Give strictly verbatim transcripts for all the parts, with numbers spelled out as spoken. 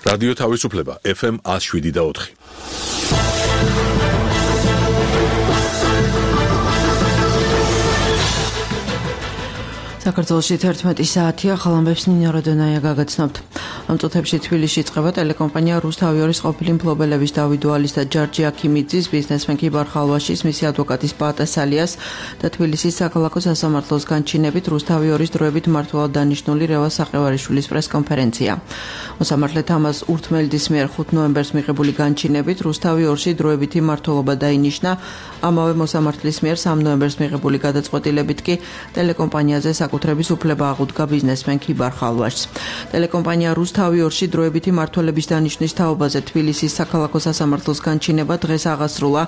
რადიო თავისუფლება ეფ ემ one oh seven და four. საქართველოში თერთმეტი საათია, ხალხებს ნინო როდონაია გაგაცნობთ. ამ წუთებში თბილისში იწყება ტელეკომპანია რუსთავიორის ყოფილი მფლობელების დავით დვალის და ჯარჯი აქიმიძის, ბიზნესმენ კიბარ ხალვაშის, მისი ადვოკატის პაატა სალიას და თბილისის საქალაქო სასამართლოს განჩინებით რუსთავიორის დროებით მმართველად დანიშნული რევაზ საყევარიშვილის პრესკონფერენცია. მოსამართლე თამაზ ურთმელდის მიერ ხუთ ნოემბერს მიღებული განჩინებით რუსთავიორში დროებითი მმართველობა დაინიშნა, ამავე მოსამართლის მიერ სამი ნოემბერს მიღებული გადაწყვეტილებით კი ტელეკომპანიაზე საკუთრების უფლება აღუდგა ბიზნესმენ კიბარ ხალვაშს. ტელეკომპანია რუსთავიორში დროებითი მმართველების დანიშნვის თაობაზე თბილისის საქალაქო სასამართლოს განჩინება დღეს აღასრულა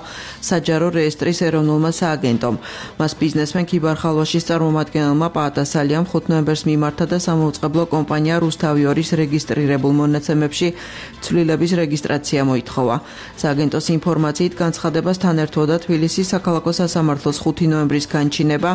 საჯარო რეესტრის ეროვნულმა სააგენტომ. მას ბიზნესმენ კიბარ ხალვაშის წარმომადგენელმა პაატა სალიამ ხუთ ნოემბერს მიმართა და სამაუწყებლო კომპანია რუსთავიორის რეგისტრირებულ მონაცემებში ცვლილების რეგისტრაცია მოითხოვა. სააგენტოს ინფორმაციით განცხადებასთან ერთვოდა თბილისის საქალაქო სასამართლოს ხუთი ნოემბრის განჩინება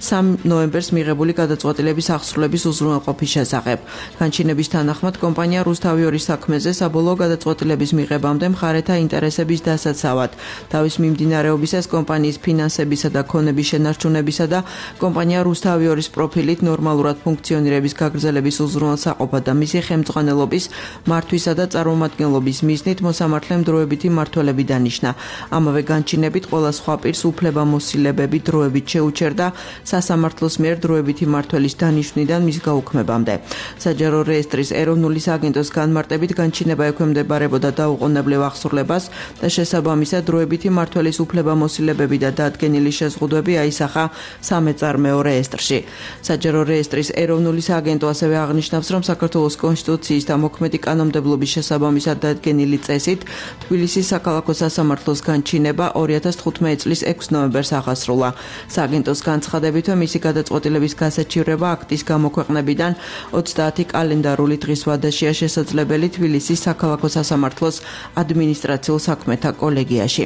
სამი ნოემბერს მიღებული გადაწყვეტილების აღსრულების უზრუნველყოფის შესახებ. განჩინების თანახმად კომპანია რუსთავიორის საქმეზე საბოლოო გადაწყვეტილების მიღებამდე მხარეთა ინტერესების დასაცავად, თავის მიმდინარეობისას კომპანიის ფინანსებისა და ქონების შენარჩუნებისა და კომპანია რუსთავიორის პროფილით ნორმალურად ფუნქციონირების გაგრძელების უზრუნველსაყოფად და მისი ხელმძღვანელობის, მართვისა და წარმომადგენლობის მიზნით მოსამართლემ დროებითი მმართველები დანიშნა. ამავე განჩინებით ყველა სხვა პირს უფლებამოსილებები დროებით შეუჩერდა სასამართლოს მიერ დროებითი მმართველის დანიშვნიდან მის გაუქმებამდე. საჯარო რეესტრის ეროვნული სააგენტოს განმარტებით განჩინება ექვემდებარებოდა დაუყოვნებლივ აღსრულებას და შესაბამისად დროებითი მმართველის უფლებამოსილებები და დადგენილი შეზღუდვები აისახა სამეწარმეო რეესტრში. საჯარო რეესტრის ეროვნული სააგენტო ასევე აღნიშნავს, რომ საქართველოს კონსტიტუციის და მოქმედი კანონმდებლობის შესაბამისად დადგენილი წესით თბილისის საქალაქო სასამართლოს განჩინება ორი ათას თხუთმეტი წლის ექვსი ნოემბერს აღასრულა. სააგენტოს განცხადებით, მისი გადაწყვეტილების გასაჩივრება აქტის გამოქვეყნებიდან ოცდაათი კალენდარული დღის ვადაშია შესაძლებელი თბილისის საქალაქო სასამართლოს ადმინისტრაციულ საქმეთა კოლეგიაში.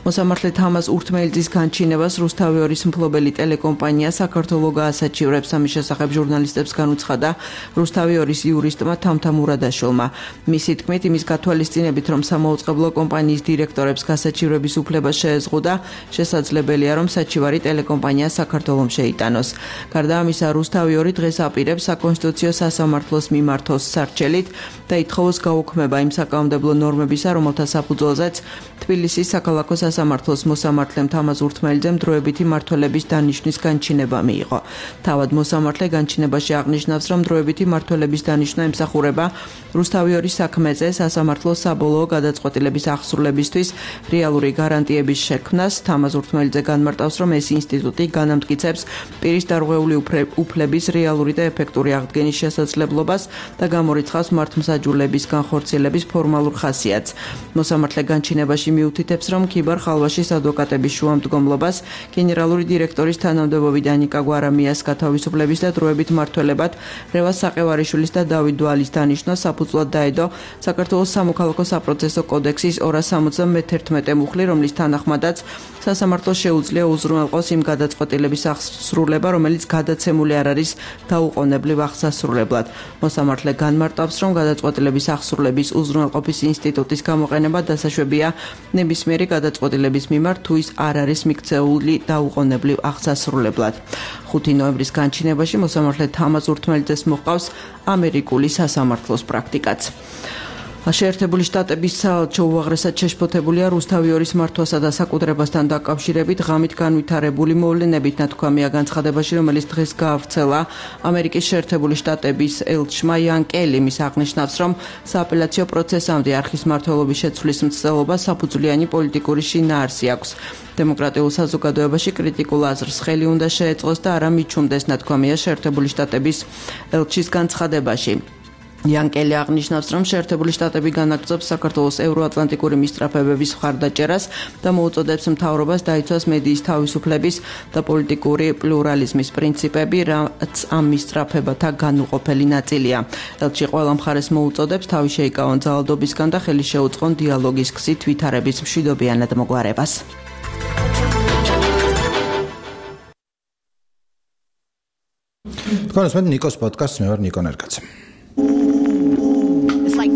მოსამართლე თამაზ ურთმელძის განჩინებას რუსთავიორის მფლობელი ტელეკომპანია საქართველოს გაასაჩივრებს, ამის შესახებ ჟურნალისტებს განუცხადა რუსთავიორის იურისტმა თამთა მურადაშვილმა. მისი თქმით, იმის გათვალისწინებით, რომ სამაუწყებლო კომპანიის დირექტორებს გასაჩივრების უფლება შეეზღუდა, შესაძლებელია, რომ საჩივარი ტელეკომპანია საქართველოს შეიტანოს. გარდა ამისა, რუსთავიორი დღეს აპირებს საკონსტიტუციო სასამართლოს მიმართოს სარჩელით და ითხოვოს გაუქმება იმ საკანონმდებლო ნორმებისა, რომელთა საფუძველზეც თბილისის საქალაქო სასამართლოს მოსამართლემ თამაზ ურთმელძემ დროებითი მმართველების დანიშვნის განჩინება მიიღო. თავად მოსამართლე განჩინებაში აღნიშნავს, რომ დროებითი მმართველების დანიშვნა ემსახურება რუსთავიორის საქმეზე სასამართლოს საბოლოო გადაწყვეტილების აღსრულებისთვის რეალური გარანტიების შექმნას. თამაზ ურთმელძე განმარტავს, რომ ეს ინსტიტუტი განამტკიცებს პირის დარღვეული უფლების რეალური და ეფექტური აღდგენის შესაძლებლობას და გამორიცხავს მართლმსაჯულების განხორციელების ფორმალურ ხასიათს. მოსამართლე განჩინებაში მიუთითებს, რომ კიბარ ხალვაშის ადვოკატების შუამდგომლობას გენერალური დირექტორის თანამდებობიდან ანიკა გვარამიას გათავისუფლების და დროებით მმართველებად რევაზ საყევარიშვილის და დავით დვალის დანიშნვა საფუძვლად დაედო საქართველოს სამოქალაქო საპროცესო კოდექსის ორას სამოცდამეთერთმეტე მუხლი, რომლის თანახმადაც სასამართლოს შეუძლია უზრუნველყოს იმ გადაწყვეტილების აღსრულება, რომელიც გადაცემული არ არის დაუყოვნებლივ აღსასრულებლად. მოსამართლე განმარტავს, რომ გადაწყვეტილების აღსრულების უზრუნველყოფის ინსტიტუტის გამოყენება დასაშვებია ნებისმიერი გადაწყვეტილების მიმართ, თუ ის არ არის მიქცეული დაუყოვნებლივ აღსასრულებლად. ხუთი ნოემბრის განჩინებაში მოსამართლე თამაზ ურთმელძეს მოჰყავს ამერიკული სასამართლოს პრაქტიკაც. შეერთებული შტატების საელჩო უაღრესად შეშფოთებულია რუსთავიორის მართვასა და საკუთრებასთან დაკავშირებით ღამით განვითარებული მოვლენებით, ნათქვამია განცხადებაში, რომელიც დღეს გაავრცელა ამერიკის შეერთებული შტატების ელჩმა იან კელიმ. ის აღნიშნავს, რომ სააპელაციო პროცესამდე არხის მმართველობის შეცვლის მცდელობა საფუძვლიანი პოლიტიკური შინაარსი აქვს. დემოკრატიულ საზოგადოებაში კრიტიკულ აზრს ხელი უნდა შეეწყოს და არა მიჩუმდეს, ნათქვამია შეერთებული შტატების ელჩის განცხადებაში. იანკელი აღნიშნავს, რომ შეერთებული შტატები განაგრძობს საქართველოს ევროატლანტიკური მისწრაფებების მხარდაჭერას და მოუწოდებს მთავრობას დაიცვას მედიის თავისუფლების და პოლიტიკური პლურალიზმის პრინციპები, რაც ამ მისწრაფებათა განუყოფელი ნაწილია. ელჩი ყველა მხარეს მოუწოდებს თავი შეიკავონ ძალადობისგან და ხელი შეუწყონ დიალოგის გზით ვითარების მშვიდობიანად მოგვარებას. თქვენ უსმენთ ნიკოს პოდკასტს, მე ვარ ნიკო ნერგაძე. It's like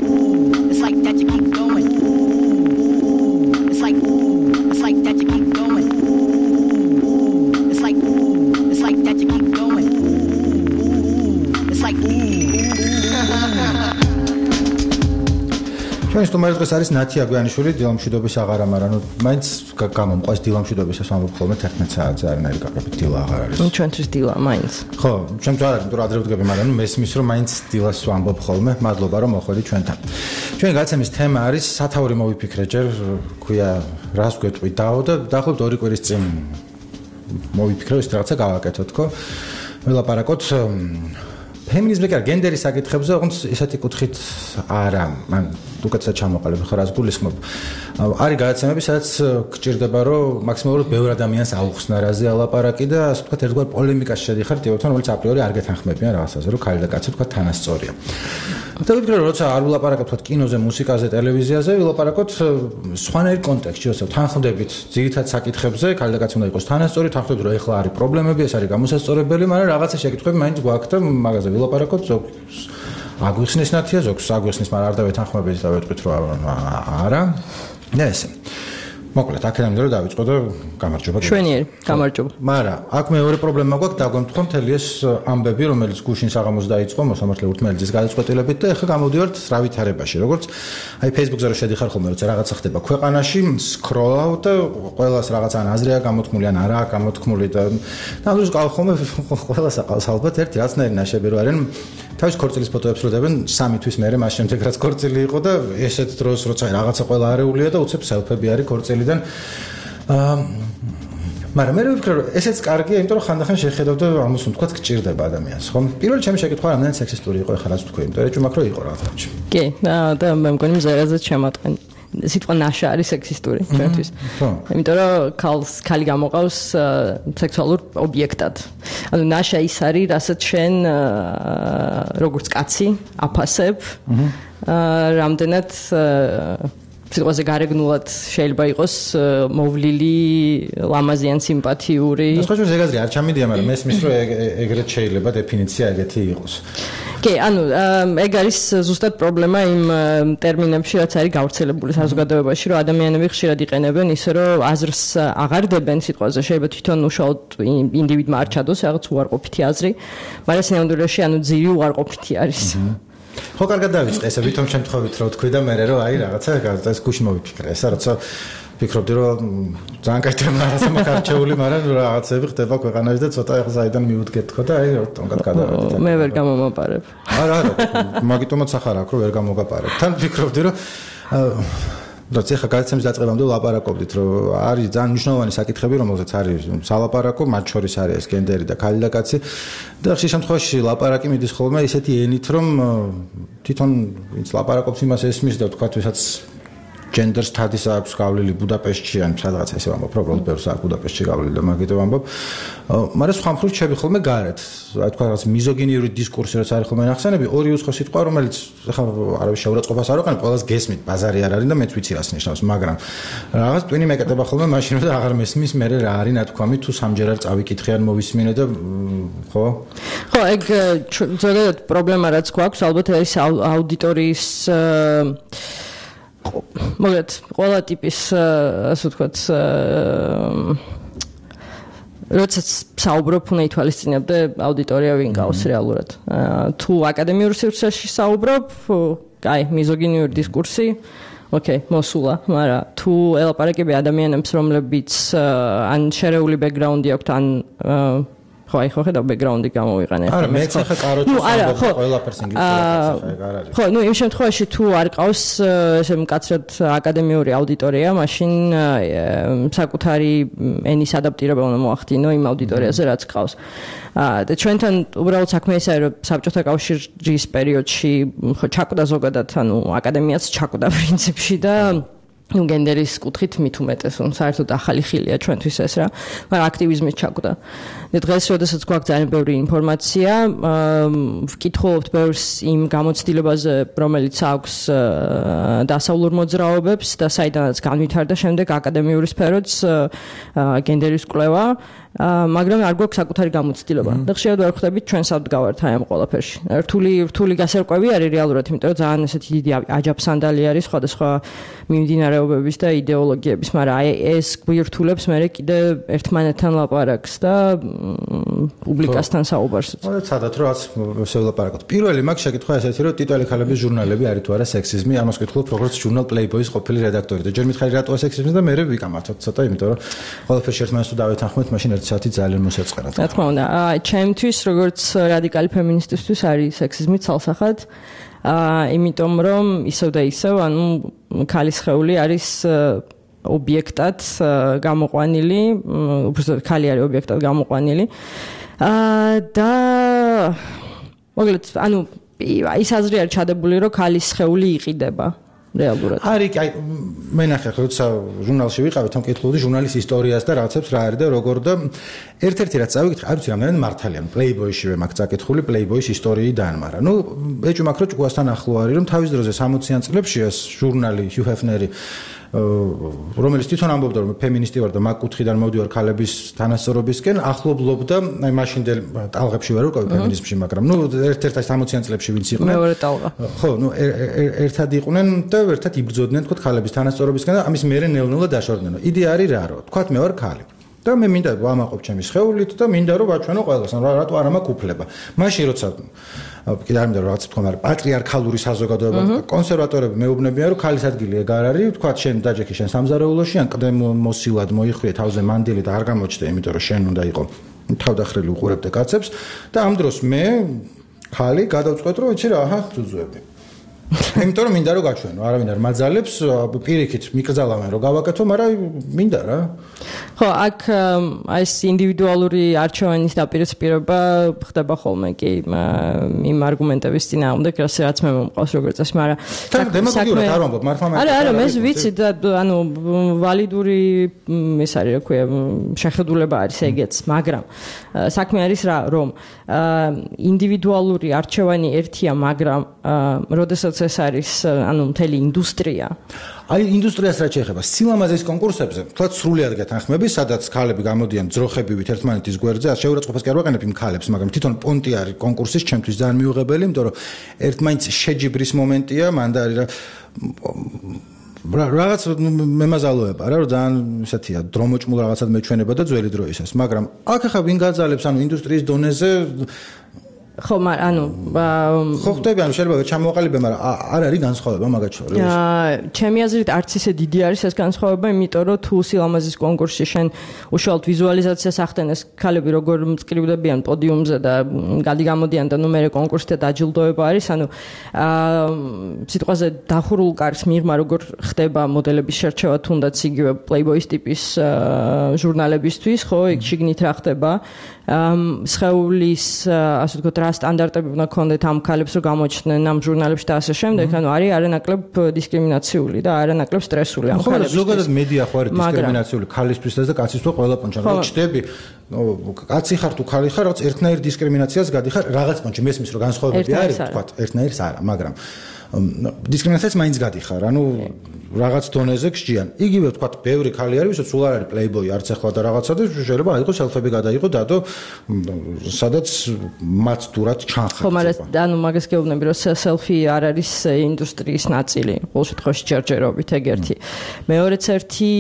ჩვენი სტუმარი დღეს არის ნათი აგვიანიშვილი, დილამშვიდობის აღარა, მაგრამ ნუ მაინც გამომყვეს დილამშვიდობისას ვამბობ ხოლმე თერთმეტ საათზე არანაირი გაგებით დილა აღარ არის. ჩვენთვის დილა მაინც. ხო, ჩემს არ არის, იმიტომ რომ ადრე ვდგები, მაგრამ ნუ მესმის რომ მაინც დილას ვამბობ ხოლმე. მადლობა რომ მოხვედით ჩვენთან. ჩვენი გადაცემის თემა არის სათაური მოვიფიქრე ჯერ, ქვია რას გვეტყვი დაო და დაახლოებით ორი კვირის წინ მოვიფიქრე ის რაღაცა გავაკეთოთ, ხო? ველაპარაკოთ ფემინიზმზე კი გენდერის საკითხებზე, ოღონდ ესეთი კუთხით არა, მან უკეთესად ჩამოყალიბე ხო რას გულისხმობ. არის გადაცემები, სადაც გჭირდება რომ მაქსიმალურად ბევრ ადამიანს აუხსნა რაზე ალაპარაკი და ასე ვთქვათ ერთგვარ პოლემიკაში შედიხარ ტიპებთან, რომელიც აპრიორი არ გეთანხმებიან რაღაცაზე, რომ ქალი და კაცი ვთქვათ თანასწორია. და ვფიქრე რომ როცა არ ვილაპარაკოთ ვთქვათ კინოზე, მუსიკაზე, ტელევიზიაზე, ვილაპარაკოთ სხვანაირ კონტექსტში, ასე თანხმდებით ძირითად საკითხებზე, ქალი და კაცი უნდა იყოს თანასწორი, თანხმდებით რომ ეხლა არის პრობლემები, ეს არის გამოსასწორებელი, მაგრამ რაღაცა შეკითხვები მაინც გვაქვს და მაგაზე ვილაპარაკოთ ზოგს აგვიხსნის ნათია, ზოგს აგვიხსნის, მაგრამ არ დავეთანხმებით და ვეთქვით რომ არა. და ესე. მოკლედ, აქედან რომ დავიწყო და გამარჯობა. შვენიერი, გამარჯობა. მაგრამ აქ მეორე პრობლემა გვაქვს, დაგვემთხვა მთელი ეს ამბები, რომელიც გუშინ საღამოს დაიწყო მოსამართლე ურთმელეთის გადაწყვეტილებით და ეხლა გამოდივართ რა ვითარებაში. როგორც აი Facebook-ზე რო შედიხარ ხოლმე, როცა რაღაცა ხდება ქვეყანაში, სკროლავ და ყველას რაღაცა ან აზრია გამოთქმული, ან არაა გამოთქმული და ნამდვილად ყავს ხოლმე ყველას აყავს ალბათ ერთი რაცნაირი ნაშები რო არიან. თავის ქორწილის ფოტოებს რო დებენ სამი თვის მერე მას შემდეგ რაც ქორწილი იყო და ესეთ დროს როცა რაღაცა ყველა არეულია და უცებ სელფები არის ქორწილიდან. აა მაგრამ მე ვფიქრე რომ ესეც კარგია, იმიტომ რომ ხანდახან შეხედავ და ამას ვთქვათ გჭირდება ადამიანს, ხო? პირველი ჩემი შეკითხვა რამდენად სექსისტური იყო ეხლა რაც ვთქვი, იმიტომ რომ ეჭვმაქრო იყო რაღაცა. კი, და მე მგონი მზერაზე შემატყენ. სიტყვა ნაშა არის სექსისტური ჩვენთვის. იმიტომ რომ ქალს ქალი გამოყავს სექსუალურ ობიექტად. ანუ ნაშა ის არის, რასაც შენ როგორც კაცი აფასებ, რამდენად სიტყვაზე გარეგნულად შეიძლება იყოს მოვლილი, ლამაზი ან სიმპათიური. ეს ხო შეიძლება ეგ არ ჩამიდია, მაგრამ მესმის რომ ეგრეთ შეიძლება დეფინიცია ეგეთი იყოს. კი, ანუ ეგ არის ზუსტად პრობლემა იმ ტერმინებში, რაც არის გავრცელებული საზოგადოებაში, რომ ადამიანები ხშირად იყენებენ ისე, რომ აზრს აღარ დებენ სიტყვაზე, შეიძლება თვითონ უშუალოდ ინდივიდმა არ ჩადოს რაღაც უარყოფითი აზრი, მაგრამ სინამდვილეში ანუ ძირი უარყოფითი არის. ხო, კარგად დავიწყე, ესე ვითომ შემთხვევით რო თქვი და მე რო აი რაღაცა ეს გუშინ მოვიფიქრე, ესა როცა ვფიქრობდი რომ ძალიან კაი რაღაცა მაქარჩეული, მაგრამ რაღაცები ხდება ქვეყანაში და ცოტა ახლა საიდან მიუდგეთ ხო და აი თონგად გადავედით. მე ვერ გამომაპარებ. არა, არა, მაგიტომაც ახლა აქ რო ვერ გამოგაპარებ. თან ვფიქრობდი რომ როცა ახლა გადაცემის დაწყებამდე ვლაპარაკობდით, რომ არის ძალიან მნიშვნელოვანი საკითხები, რომელზეც არის სალაპარაკო, მათ შორის არის ეს გენდერი და ქალი და კაცი. და ხშირ შემთხვევაში ლაპარაკი მიდის ხოლმე ისეთი ენით, რომ თვითონ ვინც ლაპარაკობს იმას ესმის და თქვა ვისაც ჯენდერს თადის აქვს გავლილი ბუდაპეშტში ან სადღაც ესე ვამბობ, პრობლემ ბევრს აქვს ბუდაპეშტში გავლილი და მაგით ვამბობ. მაგრამ სხვა მხრივ ჩები ხოლმე გარეთ, რა თქვა რაღაც მიზოგინიური დისკურსი რაც არის ხოლმე ნახსენები, ორი უცხო სიტყვა, რომელიც ახლა არავის შეურაცხყოფას არ ვიყენ, ყველას გესმით, ბაზარი არ არის და მეც ვიცი რას ნიშნავს, მაგრამ რაღაც ტვინი მეკეტება ხოლმე მაშინ რომ აღარ მესმის, მე რა არის ნათქვამი თუ სამჯერ არ წავიკითხე ან მოვისმინე და ხო? ხო, ეგ ზოგადად პრობლემა რაც გვაქვს, ალბათ არის აუდიტორიის მოგეთ ყველა ტიპის ასე ვთქვათ როდესაც საუბრობ უნდა ითვალისწინებდე აუდიტორია ვინ გავს რეალურად. თუ აკადემიურ სივრცეში საუბრობ, აი მიზოგინიური დისკურსი ოკეი, მოსულა, მაგრამ თუ ელაპარაკები ადამიანებს, რომლებიც ან შერეული ბექგრაუნდი აქვთ, ან ხო, აი ხო ხედავ ბექგრაუნდი გამოვიყენე. არა, მეც ახლა კაროჩის ამბობ ყველაფერს ინგლისურად ახლა არ არის. ხო, ნუ იმ შემთხვევაში თუ არ ყავს ესე მკაცრად აკადემიური აუდიტორია, მაშინ საკუთარი ენის ადაპტირება უნდა მოახდინო იმ აუდიტორიაზე, რაც ყავს. და ჩვენთან უბრალოდ საქმე ის არის, რომ საბჭოთა კავშირის პერიოდში ხო ჩაკვდა ზოგადად, ანუ აკადემიაც ჩაკვდა პრინციპში და ну გენდერის კუთხით მით უმეტეს, რომ საერთოდ ახალი ხილია ჩვენთვის ეს რა, მაგრამ აქტივიზმით ჩაკვდა. და დღეს როდესაც გვაქვს ძალიან ბევრი ინფორმაცია, ვკითხულობთ ბევრს იმ გამოცდილებაზე, რომელიც აქვს დასავლურ მოძრაობებს და საიდანაც განვითარდა შემდეგ აკადემიური სფეროც გენდერის კვლევა. მაგრამ არ გვაქვს საკუთარი გამოცდილება და ხშირად ვერ ხვდებით ჩვენ საბდგავართ აი ამ ყველაფერში. რთული რთული გასარკვევი არის რეალურად, იმიტომ რომ ძალიან ესეთი დიდი აჯაფსანდალი არის სხვადასხვა მიმდინარეობების და იდეოლოგიების, მაგრამ აი ეს გვირთულებს მე კიდე ერთმანეთთან ლაპარაკს და პუბლიკასთან საუბარს. მოდეცადათ რომ რაც შევლაპარაკოთ. პირველი მაგ შეკითხვა ესეთი რომ ტიტველი ქალების ჟურნალები არის თუ არა სექსიზმი, ამას ვკითხულობ როგორც ჟურნალ Playboy-ის ყოფილი რედაქტორი და ჯერ მითხარი რატოა სექსიზმი და მე ვიკამართოთ ცოტა, იმიტომ რომ ყველაფერში ერთმანეთს თუ დავეთანხმოთ, მაშინ ერთი საათი ძალიან მოსაწყენად. რა თქმა უნდა, აი ჩემთვის როგორც რადიკალი ფემინისტისთვის არის სექსიზმი ცალსახად. აა იმიტომ რომ ისევ და ისევ ანუ ქალის სხეული არის ობიექტად გამოყვანილი, უბრალოდ ქალი არის ობიექტად გამოყვანილი. აა და მოკლედ ანუ ის აზრი არის ჩადებული რომ ქალის სხეული იყიდება რეალურად. არის აი მე ნახე ხო როცა ჟურნალში ვიყავით ამ კითხულობდი ჟურნალის ისტორიას და რაღაცებს რა არის და როგორ და ერთ-ერთი რაც წავიკითხე, არ ვიცი რამდენი მართალია, Playboy-ში ვემაქ წაკითხული Playboy-ის ისტორიიდან, მაგრამ ნუ ეჭვმაქ რომ ჭკუასთან ახლო არის რომ თავის დროზე სამოციან წლებში ეს ჟურნალი Hugh Hefner-ი რომელიც თვითონ ამბობდა რომ ფემინისტი ვარ და მაგ კუთხიდან მოვდივარ ქალების თანასწორობისკენ, ახლობლობდა აი მაშინდელ ტალღებში ვარ ვიყავი ფემინიზმში, მაგრამ ნუ ერთ-ერთ სამოციან წლებში ვინც იყვნენ. მეორე ტალღა. ხო, ნუ ერთად იყვნენ და ერთად იბრძოდნენ თქო ქალების თანასწორობისკენ და ამის მერე ნელ-ნელა დაშორდნენ. იდეა არის რა რო, თქვათ მე ვარ ქალი. და მე მინდა ვამაყობ ჩემი სხეულით და მინდა რომ ვაჩვენო ყველას, რატო არ მაქვს უფლება. მაშინ როცა კიდე არ მინდა რომ რაღაც თქვა, მაგრამ პატრიარქალური საზოგადოება კონსერვატორები მეუბნებიან რომ ქალის ადგილი ეგ არ არის, თქვათ შენ დაჯექი შენ სამზარეულოში, ან კიდე მოსილად მოიხვიე თავზე მანდილი და არ გამოჩნდე, იმიტომ რომ შენ უნდა იყო თავდახრილი უყურებდე კაცებს და ამ დროს მე ქალი გადავწყვეტ რომ ვიცი რა, აჰა, ძუძუები. იმიტომ რომ მინდა რომ გაჩვენო, არავინ არ მაძალებს, პირიქით მიკრძალავენ რომ გავაკეთო, მაგრამ მინდა რა. ხო, აქ აი ეს ინდივიდუალური არჩევანის დაპირისპირება ხდება ხოლმე კი იმ არგუმენტების წინააღმდეგ, რაც მე მომყავს როგორც წესი, მაგრამ დემაგოგიურად არ ვამბობ, მართლა მე. არა, არა, მე ვიცი და ანუ ვალიდური ეს არის რა ქვია, შეხედულება არის ეგეც, მაგრამ საქმე არის რა, რომ ინდივიდუალური არჩევანი ერთია, მაგრამ როდესაც ეს არის ანუ მთელი ინდუსტრია. აი ინდუსტრიას რაც შეეხება სილამაზის კონკურსებზე, თქვა სრულად გეთანხმები, სადაც ქალები გამოდიან ძროხებივით ერთმანეთის გვერდზე, ასე შეურაცხყოფას კი არ ვაყენებ იმ ქალებს, მაგრამ თვითონ პონტი არის კონკურსის ჩემთვის ძალიან მიუღებელი, იმიტომ რომ ერთმანეთს შეჯიბრის მომენტია, მანდა არის რა რაღაც მემაზალოება რა რომ ძალიან ისეთია დრომოჭმულ რაღაცად მეჩვენება და ძველი დროისას, მაგრამ აქ ახლა ვინ გაძალებს ანუ ინდუსტრიის დონეზე ხო, ანუ ხო ხდები, ანუ შეიძლება ჩამოაყალიბე, მაგრამ არ არის განსხვავება მაგათ შორის. აა, ჩემი აზრით არც ისე დიდი არის ეს განსხვავება, იმიტომ რომ თუ სილამაზის კონკურსში შენ უშუალოდ ვიზუალიზაციას ახდენეს ქალები როგორ მწკრივდებიან პოდიუმზე და გადი-გამოდიან და ნუ მე კონკურსზე დაჯილდოება არის, ანუ აა, სიტყვაზე დახურულ კარს მიღმა როგორ ხდება მოდელების შერჩევა თუნდაც იგივე Playboy-ის ტიპის ჟურნალებისთვის, ხო, იქ შიგნით რა ხდება. სხეულის ასე ვთქვათ რა სტანდარტები უნდა ქონდეთ ამ ქალებს რომ გამოჩნდნენ ამ ჟურნალებში და ასე შემდეგ, ანუ არის არანაკლებ დისკრიმინაციული და არანაკლებ სტრესული ამ ქალებისთვის. ხო, ზოგადად მედია ხო არის დისკრიმინაციული ქალისთვისაც და კაცისთვის ყველა პონჩი. რა ჩდები, კაცი ხარ თუ ქალი ხარ, რაღაც ერთნაირ დისკრიმინაციას გადიხარ, რაღაც პონჩი მესმის რომ განსხვავებები არის, ვთქვათ, ერთნაირს არა, მაგრამ დისკრიმინაციას მაინც გადიხარ, ანუ რაღაც დონეზე გსჯიან. იგივე ვთქვათ, ბევრი ქალი არის, ვისაც სულ არ არის Playboy, არც ახლა და რაღაცა და შეიძლება აიღო სელფები გადაიღო დადო, სადაც მათ დურად ჩანხარდება. ხო, მაგრამ ანუ მაგას გეუბნები, რომ სელფი არ არის ინდუსტრიის ნაწილი, ყოველ შემთხვევაში ჯერჯერობით ეგ ერთი. მეორეც ერთი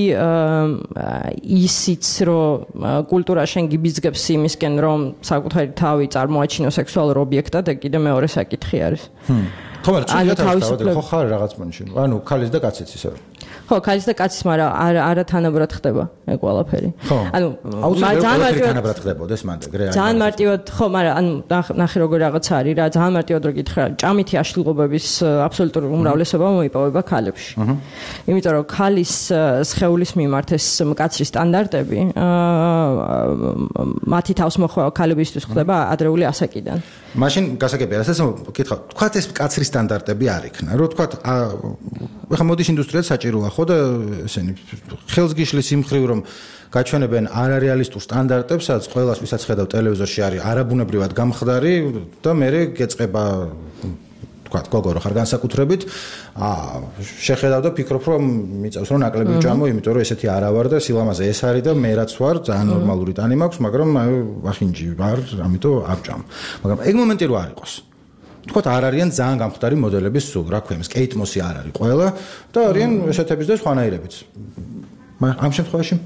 ისიც, რომ კულტურა შენ გიბიძგებს იმისკენ, რომ საკუთარი თავი წარმოაჩინო სექსუალურ ობიექტად, ეგ კიდე მეორე საკითხი არის. ხო, მაგრამ თავისუფლება ხო ხარ რაღაც პონჩი. ანუ ქალის და კაცის ისე. ხო, ქალის და კაცის, მაგრამ არა არა თანაბრად ხდება ეგ ყველაფერი. ანუ ძალიან მარტივად თანაბრად ხდებოდეს მანდ ეგრე. ძალიან მარტივად, ხო, მაგრამ ანუ ნახე როგორ რაღაც არის რა, ძალიან მარტივად რო გითხრა, ჭამითი აშლილობების აბსოლუტური უმრავლესობა მოიპოვება ქალებში. იმიტომ რომ ქალის სხეულის მიმართ ეს მკაცრი სტანდარტები მათი თავს მოხვევა ქალებისთვის ხდება ადრეული ასაკიდან. მაშინ გასაგებია, ასე ვკითხავ, თქვათ ეს მკაცრი სტანდარტები არ იქნა. რო თქვათ, ახლა მოდის ინდუსტრიაც საჭიროა ხო და ესენი ხელს გიშლის იმ ხრივ რომ გაჩვენებენ არარეალისტურ სტანდარტებს, სადაც ყველას ვისაც ხედავ ტელევიზორში არის არაბუნებრივად გამხდარი და მე გეწყება თქვა გოგო რო ხარ განსაკუთრებით აა შეხედავ და ფიქრობ რომ მიწევს რომ ნაკლები ვჭამო იმიტომ რომ ესეთი არა ვარ და სილამაზე ეს არის და მე რაც ვარ ძალიან ნორმალური ტანი მაქვს მაგრამ ვახინჯი ვარ ამიტომ არ ვჭამ მაგრამ ეგ მომენტი რო არ იყოს თქვა არ არიან ძალიან გამხდარი მოდელების სულ რა ქვია კეიტ მოსი არ არის ყველა და არიან ესეთების და სხვანაირებიც ამ შემთხვევაში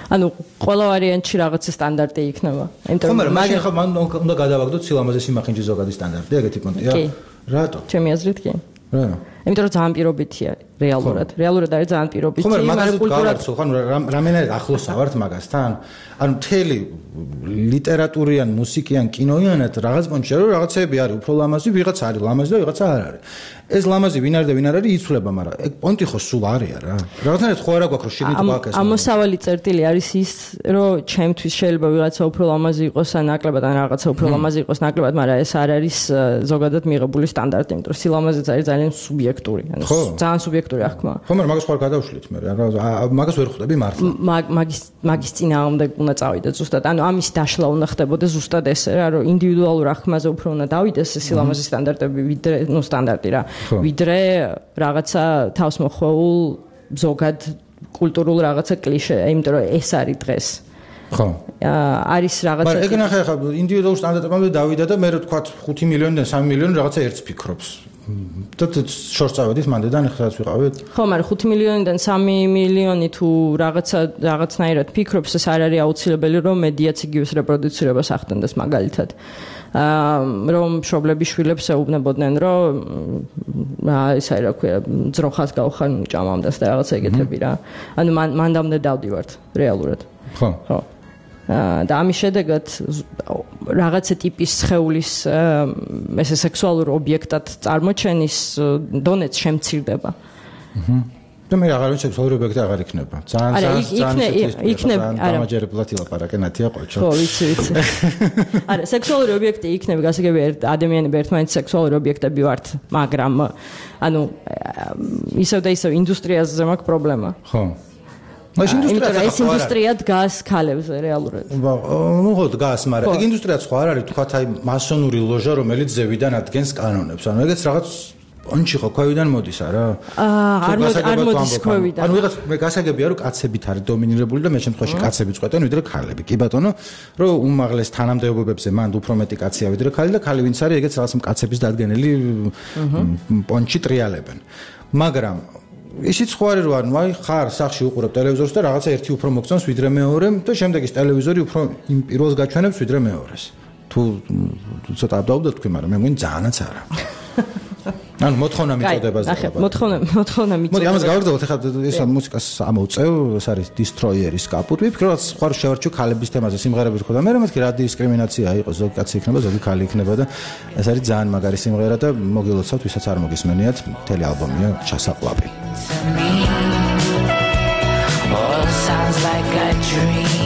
ანუ ყველა ვარიანტში რაღაცა სტანდარტი იქნება. იმიტომ რომ მაგ ხომ უნდა გადავაგდოთ სილამაზე სიმახინჯის ზოგადი სტანდარტი, ეგეთი პონტია. რატო? ჩემი აზრით კი. რა? იმიტომ რომ ძალიან პირობითია რეალურად. რეალურად არის ძალიან პირობითი, მაგრამ კულტურად ხომ რამენად ახლოსა ვართ მაგასთან? ანუ მთელი ლიტერატურიან, მუსიკიან, კინოიანად რაღაც პონტში რომ რაღაცები არის უფრო ლამაზი, ვიღაც არის ლამაზი და ვიღაცა არ არის. ეს ლამაზი ვინ არის და ვინ არ არის იცვლება, მაგრამ ეგ პონტი ხო სულ არია რა. რაღაცნაირად ხო არა გვაქვს რომ შეგით გვაქვს ეს. ამოსავალი წერტილი არის ის, რომ ჩემთვის შეიძლება ვიღაცა უფრო ლამაზი იყოს ან ნაკლებად ან რაღაცა უფრო ლამაზი იყოს ნაკლებად, მაგრამ ეს არ არის ზოგადად მიღებული სტანდარტი, იმიტომ რომ სილამაზეც არის ძალიან სუბიექტური, ანუ ძალიან სუბიექტური აღქმა. ხო, მაგრამ მაგას ხო არ გადავშლით მე რა. მაგას ვერ ხვდები მართლა. მაგის მაგის წინააღმდეგ უნდა წავიდეთ ზუსტად. ანუ ამის დაშლა უნდა ხდებოდა ზუსტად ესე რა, რომ ინდივიდუალურ აღქმაზე უფრო უნდა დავიდეს სილამაზის სტანდარტები, ვიდრე, ну, სტანდარტი რა. ვიდრე რაღაცა თავს მოხვეულ ზოგად კულტურულ რაღაცა კლიშე, იმიტომ რომ ეს არის დღეს. ხო. არის რაღაცა მაგრამ ეგ ნახე ხა ინდივიდუალურ სტანდარტებამდე დავიდა და მე რო თქვა ხუთი მილიონიდან სამი მილიონი რაღაცა ერთს ფიქრობს. და შორს წავედით მანდედან ხსაც ვიყავით? ხო, მაგრამ ხუთი მილიონიდან სამი მილიონი თუ რაღაცა რაღაცნაირად ფიქრობს, ეს არ არის აუცილებელი რომ მედიაც იგივეს რეპროდუცირებას ახდენდეს მაგალითად. აა რომ მშობლები შვილებს ეუბნებოდნენ რომ აა ის არის რა ქვია ძროხას გავხარ ჭამამდას და რაღაცა ეგეთები რა. ანუ მან მანდამდე დავდივართ რეალურად. ხო. ხო. აა და ამის შედეგად რაღაცა ტიპის სხეულის ესე სექსუალურ ობიექტად წარმოჩენის დონეც შემცირდება. აჰა. და მე აღარ ვიცი სექსუალური ობიექტი აღარ იქნება. ძალიან ძალიან იქნება დამაჯერებლად ილაპარაკე ნათია ყოჩო. ხო, ვიცი, ვიცი. არა, სექსუალური ობიექტი იქნება, გასაგები ადამიანები ერთმანეთის სექსუალური ობიექტები ვართ, მაგრამ ანუ ისევ და ისევ ინდუსტრიაზე მაქვს პრობლემა. ხო. მაშინ ინდუსტრია ეს ინდუსტრია დგას ქალებზე რეალურად. ნუ ხო დგას, მაგრამ ეგ ინდუსტრიაც ხო არ არის, თქვათ აი მასონური ლოჟა, რომელიც ზევიდან ადგენს კანონებს. ანუ ეგეც რაღაც პონჩი ხო ქვევიდან მოდის არა? აა არ მოდის ქვევიდან. ანუ ვიღაც მე გასაგებია რომ კაცებით არის დომინირებული და მე შემთხვევაში კაცები წყვეტენ ვიდრე ქალები. კი ბატონო, რომ უმაღლეს თანამდებობებზე მანდ უფრო მეტი კაცია ვიდრე ქალი და ქალი ვინც არის ეგეც რაღაც კაცების დადგენილი პონჩი ტრიალებენ. მაგრამ ისიც ხო არის რომ ანუ აი ხარ სახში უყურებ ტელევიზორს და რაღაცა ერთი უფრო მოგწონს ვიდრე მეორე და შემდეგ ის ტელევიზორი უფრო იმ პირველს გაჩვენებს ვიდრე მეორეს. თუ ცოტა აბდაუბდეთ თქვი, მაგრამ მე მგონი ძალიანაც არა. ანუ მოთხოვნა მიწოდებაზე ვაბა. მოთხოვნა, მოთხოვნა მიწოდება. მოდი ამას გავაგრძელოთ, ახლა ეს მუსიკას ამოვწევ, ეს არის Destroyer-ის კაპუტი. ვფიქრობ, რომ სხვა შევარჩიო ქალების თემაზე სიმღერები ხო და მე მეთქი რა დისკრიმინაცია იყო, ზოგი კაცი იქნება, ზოგი ქალი იქნება და ეს არის ძალიან მაგარი სიმღერა და მოგილოცავთ, ვისაც არ მოგისმენიათ, მთელი ალბომია ჩასაყლაპი. All sounds like a dream.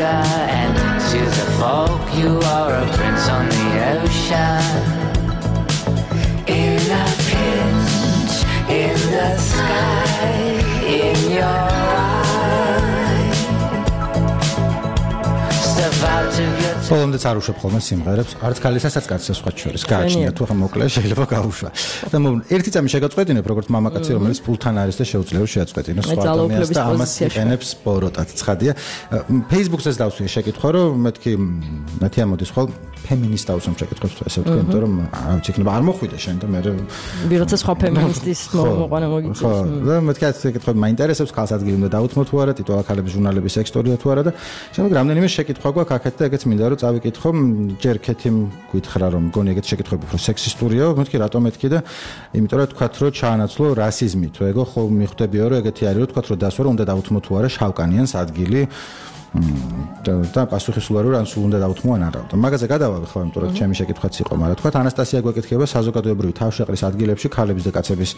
And to the folk you are a prince on the ocean. In a pinch, in the sky, in your eyes. Step out of your ხოლმე არ უშვებ ხოლმე სიმღერებს, არც ქალისაც კაცსაც სხვა შორის. გააჩნია თუ ხა მოკლე შეიძლება გაუშვა. და ერთი წამი შეგაწყვეტინებ როგორც მამაკაცი რომელიც ფულთან არის და შეუძლია რომ შეაწყვეტინოს სხვა ადამიანს და ამას იყენებს ბოროტად. ცხადია. Facebook-ზე დავსვი შეკითხვა რომ მეთქი მათი ამოდის ხოლ ფემინისტ აუცნობ შეკითხვებს ესე ვთქვი, იმიტომ რომ არ ვიცი, იქნება არ მოხვიდე შენ და მე ვიღაცა სხვა ფემინისტის მოყვანა მოგიწევს. ხო, და მეთქი ეს შეკითხვები მაინტერესებს, ხალხს ადგილი უნდა დაუთმო თუ არა, ტიტულა ქალების ჟურნალების ექსტორია თუ არა და შემდეგ რამდენიმე შეკითხვა გვაქვს აქეთ და ეგეც მინდა რომ წავიკითხო, ჯერ ქეთი გითხრა რომ მგონი ეგეთ შეკითხვები უფრო სექსისტურია, მეთქი რატომ მეთქი და იმიტომ რომ თქვათ რომ ჩაანაცვლო რასიზმი, თუ ეგო ხო მიხვდებიო რომ ეგეთი არის რომ თქვათ რომ დასვა რომ უნდა დაუთმო თუ არა შავკანიანს ადგილი და პასუხისმგებლობა რომ სულ უნდა დაუთმო ან არა. მაგაზე გადავალ ხო, იმიტომ რომ ჩემი შეკითხვაც იყო, მაგრამ თქვათ ანასტასია გვეკითხება საზოგადოებრივი თავშეყრის ადგილებში ქალების და კაცების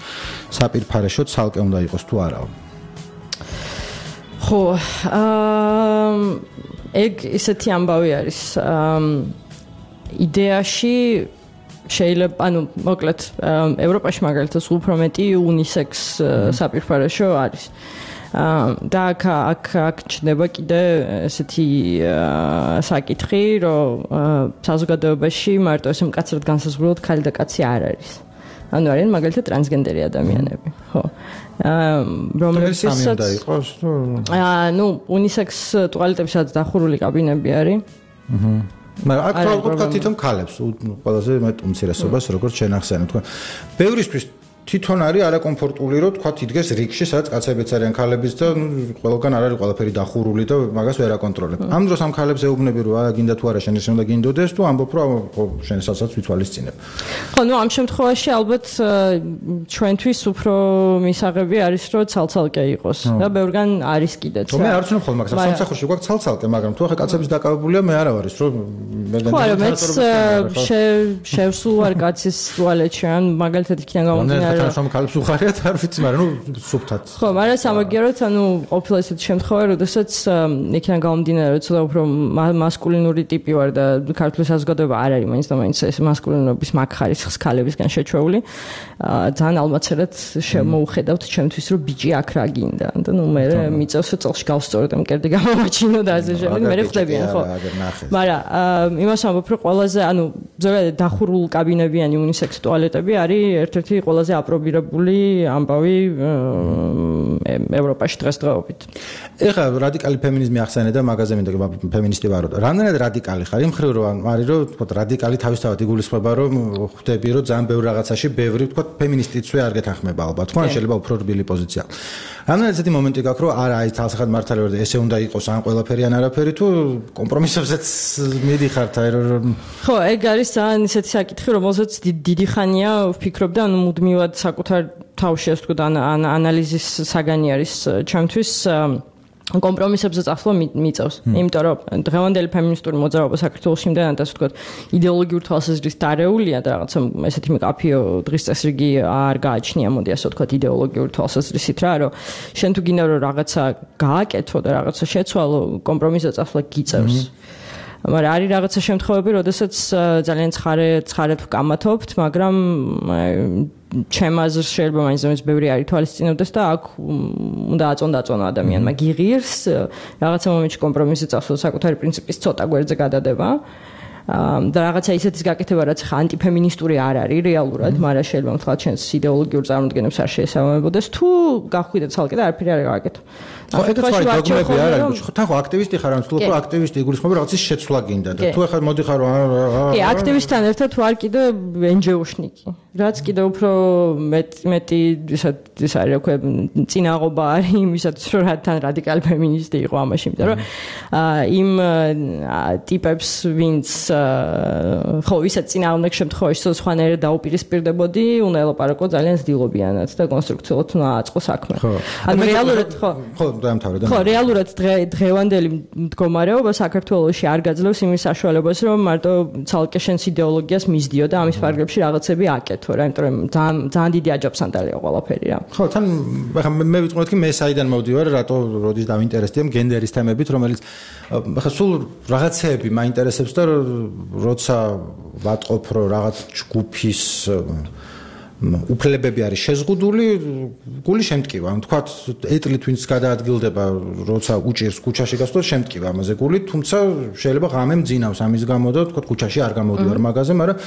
საპირფარეშო ცალკე უნდა იყოს თუ არაო. ხო, აა ეგ ისეთი ამბავი არის. იდეაში შეიძლება, ანუ მოკლედ ევროპაში მაგალითად უფრო მეტი უნისექს საპირფარეშო არის. და აქ აქ აქ ჩნდება კიდე ესეთი საკითხი, რომ საზოგადოებაში მარტო ესე მკაცრად განსაზღვრულად ქალი და კაცი არ არის. ანუ არიან მაგალითად ტრანსგენდერი ადამიანები, ხო. რომლებსაც სამი იყოს თუ აა ნუ უნისექს ტუალეტებსაც დახურული კაბინები არის. აჰა. მაგრამ აქ თვითონ თვითონ ქალებს ყველაზე მეტ უმცირესობას როგორც შენ ახსენე, თქვა. ბევრისთვის თვითონ არის არაკომფორტული რომ თქვა იდგეს რიგში, სადაც კაცებიც არიან ქალებიც და ყველგან არ არის ყველაფერი დახურული და მაგას ვერ აკონტროლებ. ამ დროს ამ ქალებს ეუბნები რომ არა გინდა თუ არა შენ ესე უნდა გინდოდეს თუ ამბობ რომ შენსაც ვითვალისწინებ. ხო, ნუ ამ შემთხვევაში ალბათ ჩვენთვის უფრო მისაღები არის რომ ცალცალკე იყოს და ბევრგან არის კიდეც. მე არ ვცნობ ხოლმე მაგას, სამსახურში გვაქვს ცალცალკე, მაგრამ თუ ახლა კაცების დაკავებულია მე არა ვარის რომ მე განაცხადა რომ შევსულ ვარ კაცის ტუალეტში ან მაგალითად იქიდან გამომდინარე თანაშრომ ქალებს უხარიათ, არ ვიცი, მაგრამ ნუ სუფთად. ხო, მაგრამ სამაგიეროდ, ანუ ყოფილა ესეთი შემთხვევა, როდესაც იქიდან გამომდინარე, რომ ცოტა უფრო მასკულინური ტიპი ვარ და ქართული საზოგადოება არ არის მაინც და მაინც ეს მასკულინობის მაგხარისხს ქალებისგან შეჩვეული. ძალიან ალმაცერად შემოუხედავთ ჩემთვის, რომ ბიჭი აქ რა გინდა. და ნუ მე მიწევს რომ წელში გავსწორებ, მკერდი გამოვაჩინო და ასე შემდეგ, მე ხვდებიან, ხო. მაგრამ იმას ამბობ, რომ ყველაზე, ანუ ზოგადად დახურულ კაბინებიანი უნისექს ტუალეტები არის ერთ-ერთი ყველაზე აპრობირებული ამბავი ევროპაში დღესდღეობით. ეხლა რადიკალი ფემინიზმი ახსენე და მაგაზე მინდა ფემინისტი ვარო და რამდენად რადიკალი ხარ? იმ ხრივ რომ არის რომ თქო რადიკალი თავისთავად იგულისხმება რომ ხვდები რომ ძალიან ბევრ რაღაცაში ბევრი თქო ფემინისტიცვე არ გეთანხმება ალბათ. თქო შეიძლება უფრო რბილი პოზიცია. რამდენად ესეთი მომენტი გაქვს რომ არა აი თალსახად მართალი ვარ და ესე უნდა იყოს ან ყველაფერი ან არაფერი თუ კომპრომისებზეც მიდიხართ აი რომ ხო, ეგ არის ძალიან ისეთი საკითხი, რომელზეც დიდი ხანია ვფიქრობ და ანუ მუდმივად საკუთარ თავში ასე ვთქვათ ანალიზის საგანი არის ჩემთვის კომპრომისებზე წასვლა მიწევს. იმიტომ რომ დღევანდელი ფემინისტური მოძრაობა საქართველოში იმდანაც ასე ვთქვათ იდეოლოგიურ თვალსაზრისით დარეულია და რაღაცა ესეთი მკაფიო დღის წესრიგი არ გააჩნია, მოდი ასე ვთქვათ იდეოლოგიურ თვალსაზრისით რა, რომ შენ თუ გინდა რომ რაღაცა გააკეთო და რაღაცა შეცვალო, კომპრომისზე წასვლა გიწევს. მაგრამ არის რაღაცა შემთხვევები, როდესაც ძალიან ცხარე ცხარად ვკამათობთ, მაგრამ ჩემ აზრს შეიძლება მაინც მაინც ბევრი არ ითვალისწინებდეს და აქ უნდა აწონ დაწონო ადამიანმა გიღირს რაღაცა მომენტში კომპრომისზე წასვლა საკუთარი პრინციპის ცოტა გვერდზე გადადება და რაღაცა ისეთის გაკეთება, რაც ხა ანტიფემინისტური არ არის რეალურად, მაგრამ შეიძლება თქვა ჩვენს იდეოლოგიურ წარმოდგენებს არ შეესაბამებოდეს, თუ გახვიდე ცალკე და არაფერი არ გააკეთო. ხო, ეგეც ვარ დოგმები არ არის. ხო, თან ხო აქტივისტი ხარ, ან თქო აქტივისტი იგულისხმება რაღაცის შეცვლა გინდა და თუ ახლა მოდიხარ რომ კი, აქტივისტთან ერთად ვარ კიდე ენჯეოშნიკი. რაც კიდე უფრო მეტ მეტი ისეთ ის არის, რა ქვია, წინაღობა არის იმისათვის, რომ თან რადიკალი ფემინისტი იყო ამაში, იმიტომ რომ იმ ტიპებს ვინც ხო, ვისაც წინააღმდეგ შემთხვევაში სხვანაირად დაუპირისპირდებოდი, უნდა ელაპარაკო ძალიან ძილობიანად და კონსტრუქციულად უნდა აწყო საქმე. ანუ რეალურად ხო ხო დაამთავრე და ხო რეალურად დღევანდელი მდგომარეობა საქართველოში არ გაძლევს იმის საშუალებას რომ მარტო ცალკე შენს იდეოლოგიას მისდიო და ამის ფარგლებში რაღაცები აკეთო რა, იმიტომ რომ ძალიან ძალიან დიდი აჯაფსანდალია ყველაფერი რა. ხო, თან ახლა მე ვიტყვი მეთქი მე საიდან მოვდივარ, რატო როდის დავინტერესდიო გენდერის თემებით, რომელიც ახლა სულ რაღაცეები მაინტერესებს და როცა ვატყობ რომ რაღაც ჯგუფის უფლებები არის შეზღუდული, გული შემტკივა. თქვათ, ეტლით ვინც გადაადგილდება, როცა უჭირს ქუჩაში გასვლა, შემტკივა ამაზე გული, თუმცა შეიძლება ღამე მძინავს ამის გამო და თქვათ, ქუჩაში არ გამოდივარ მაგაზე, მაგრამ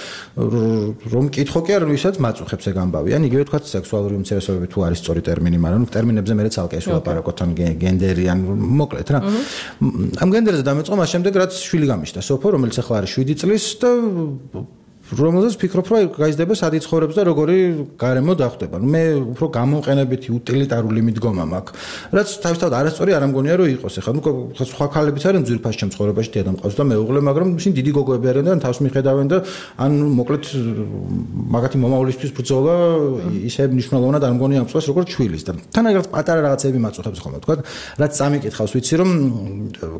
რომ მკითხო კი არ ვისაც მაწუხებს ეგ ამბავი. ან იგივე თქვათ, სექსუალური უმცირესობები თუ არის სწორი ტერმინი, მაგრამ ტერმინებზე მე ცალკე ეს ვლაპარაკოთ, ან გენდერი, ან მოკლედ რა. ამ გენდერზე დამეწყო მას შემდეგ, რაც შვილი გამიშთა სოფო, რომელიც ახლა არის შვიდი წლის და რომელზეც ფიქრობ, რომ გაიზრდება სად იცხოვრებს და როგორი გარემო დახვდება. მე უფრო გამომყენებითი უტილიტარული მიდგომა მაქვს, რაც თავისთავად არასწორი არ ამგონია რომ იყოს. ეხლა ნუ სხვა ქალებიც არიან ძვირფას ჩემს ცხოვრებაში დედა მყავს და მეუღლე, მაგრამ ისინი დიდი გოგოები არიან და თავს მიხედავენ და ან მოკლედ მაგათი მომავლისთვის ბრძოლა ისე მნიშვნელოვნად არ მგონია ამ წელს როგორც ჩვილის და თანაგრად პატარა რაღაცები მაწუხებს ხოლმე, თქვა, რაც წამიკითხავს, ვიცი რომ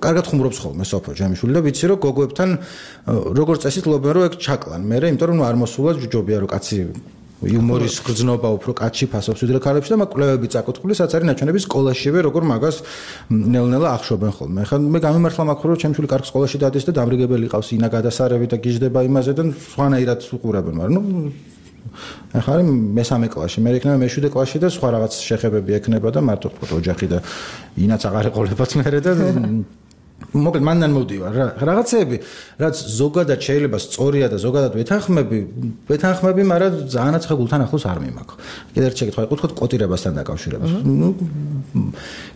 კარგად ხუმრობს ხოლმე სოფო ჯამიშვილი და ვიცი რომ გოგოებთან როგორც წესით ლობენ რომ ეგ ჩაკლან. მე იმიტომ რომ არ მოსულა ჯობია რომ კაცი იუმორის გრძნობა უფრო კაცი ფასობს ვიდრე ქალებში და მაგ კვლევები წაკუთული რაც არის ნაჩვენები სკოლაშივე როგორ მაგას ნელ-ნელა ახშობენ ხოლმე. ახლა მე გამიმართლა მაქვს რომ ჩემი შვილი კარგ სკოლაში დადის და დამრიგებელი ყავს ინა გადასარევი და გიждდება იმაზე და სხვანაირად უყურებენ, მაგრამ ნუ ახლა არის მესამე კლასში, მე იქნება მეშვიდე კლასში და სხვა რაღაც შეხებები ექნება და მარტო ხო ოჯახი და ინაც აღარ ეყოლებათ მერე და მოკლედ მანდან მოვდივარ რა რაღაცეები რაც ზოგადად შეიძლება სწორია და ზოგადად ვეთანხმები ვეთანხმები მაგრამ ძალიანაც ხა გულთან ახლოს არ მიმაქ კიდევ ერთ შეკითხვა იყო თქვა კოტირებასთან დაკავშირებით ნუ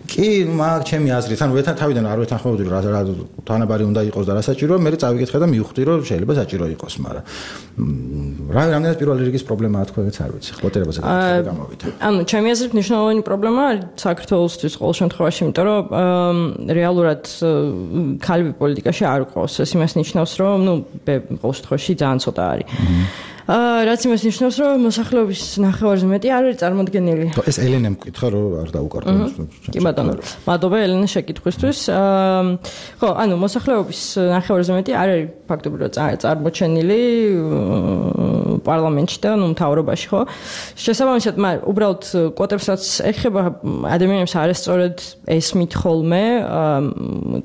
კი მაგ ჩემი აზრით ანუ ვეთან თავიდან არ ვეთანხმებოდი რა რა თანაბარი უნდა იყოს და რა საჭიროა მე წავიკითხე და მივხვდი რომ შეიძლება საჭირო იყოს მაგრამ რა რამდენად პირველი რიგის პრობლემაა თქვა ეგეც არ ვიცი კოტირებაზე გაკეთება გამოვიდა ანუ ჩემი აზრით მნიშვნელოვანი პრობლემა არის საქართველოსთვის ყოველ შემთხვევაში იმიტომ რომ რეალურად ქალები პოლიტიკაში არ ყავს. ეს იმას ნიშნავს, რომ ნუ ყოველ შემთხვევაში ძალიან ცოტა არის. აა რაც იმას ნიშნავს, რომ მოსახლეობის ნახევარზე მეტი არ არის წარმოდგენილი. ეს ელენემ მკითხა, რომ არ დაუკარგავს. კი ბატონო. მადლობა ელენე შეკითხვისთვის. აა ხო, ანუ მოსახლეობის ნახევარზე მეტი არ არის ფაქტობრივად წარმოჩენილი პარლამენტში და ნუ მთავრობაში, ხო? შესაბამისად, მაგრამ უბრალოდ კვოტებსაც ეხება ადამიანებს არასწორად ესმით ხოლმე.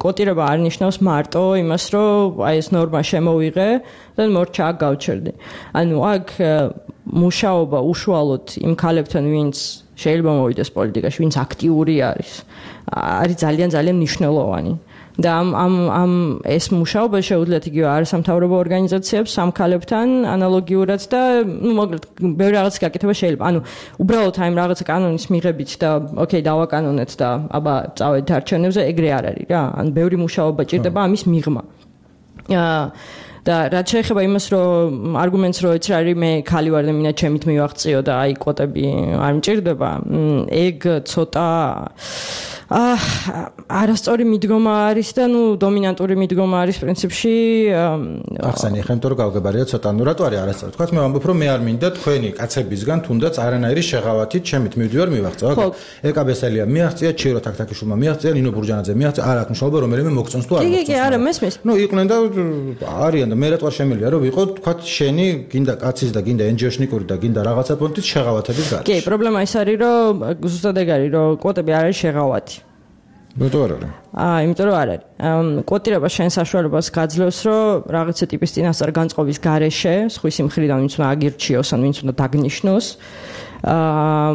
კვოტირება არ ნიშნავს მარტო იმას, რომ აი ეს ნორმა შემოვიღე და მორჩა გავჩერდი. ანუ აქ მუშაობა უშუალოდ იმ ქალებთან, ვინც შეიძლება მოვიდეს პოლიტიკაში, ვინც აქტიური არის, არის ძალიან ძალიან მნიშვნელოვანი. და ამ ამ ამ ეს მუშაობა შეუძლიათ იგივე არასამთავრობო ორგანიზაციებს ამ ქალებთან ანალოგიურად და ნუ მოკლედ ბევრი რაღაც გაკეთება შეიძლება. ანუ უბრალოდ აი რაღაცა კანონის მიღებით და ოკეი დავაკანონეთ და აბა წავედით არჩევნებზე ეგრე არ არის რა. ანუ ბევრი მუშაობა ჭირდება ამის მიღმა. აა და რაც შეეხება იმას, რომ არგუმენტს რო ეც რა არის მე ქალი ვარ და მინდა ჩემით მივაღწიო და აი კვოტები არ მჭირდება, ეგ ცოტა აა არასწორი მიდგომა არის და ნუ დომინანტური მიდგომა არის პრინციპში. ახსენე ხომ თორ გავგებარია ცოტა ნუ რატო არის არასწორი? თქვათ მე ვამბობ რომ მე არ მინდა თქვენი კაცებისგან თუნდაც არანაირი შეღავათით ჩემით მივდივარ მივაღწევ. ეკა ბესელია მიაღწია, ჩირო თაქთაქიშვილმა მიაღწია, ნინო ბურჯანაძე მიაღწია, არ აქვს მნიშვნელობა რომელიმე მოგწონს თუ არ მოგწონს. კი კი არა მესმის. ნუ იყვნენ და არიან და მე რატო არ შემიძლია რომ ვიყო თქვათ შენი გინდა კაცის და გინდა ენჯიოშნიკური და გინდა რაღაცა პონტის შეღავათების გარეშე. კი, პრობლემა ის არის რომ ზუსტად ეგ არის რომ კვოტები არ არის შეღავათი. რატო არ არის? აა, იმიტომ რომ არ არის. კვოტირება შენ საშუალებას გაძლევს, რომ რაღაცა ტიპის წინასწარ განწყობის გარეშე, სხვისი მხრიდან ვინც უნდა აგირჩიოს, ან ვინც უნდა დაგნიშნოს, აა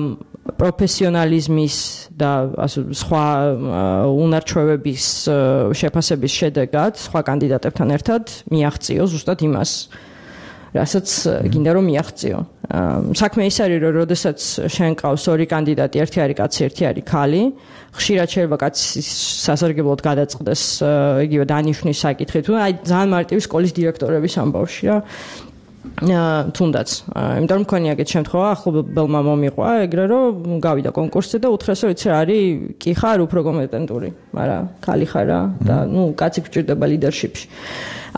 პროფესიონალიზმის და ასე სხვა უნარჩვევების შეფასების შედეგად სხვა კანდიდატებთან ერთად მიაღწიო ზუსტად იმას, რასაც გინდა რომ მიაღწიო. საქმე ის არის, რომ როდესაც შენ ყავს ორი კანდიდატი, ერთი არის კაცი, ერთი არის ქალი, ხშირად შეიძლება კაცი სასარგებლოდ გადაწყდეს იგივე დანიშვნის საკითხით, თუ აი ძალიან მარტივი სკოლის დირექტორების ამბავში რა. თუნდაც, იმიტომ რომ მქონია ეგეთ შემთხვევა, ახლობელმა მომიყვა ეგრე რომ გავიდა კონკურსზე და უთხრეს რომ იცი რა არის, კი ხარ უფრო კომპეტენტური, მაგრამ ქალი ხარ რა და ნუ კაცი გჭირდება ლიდერშიპში.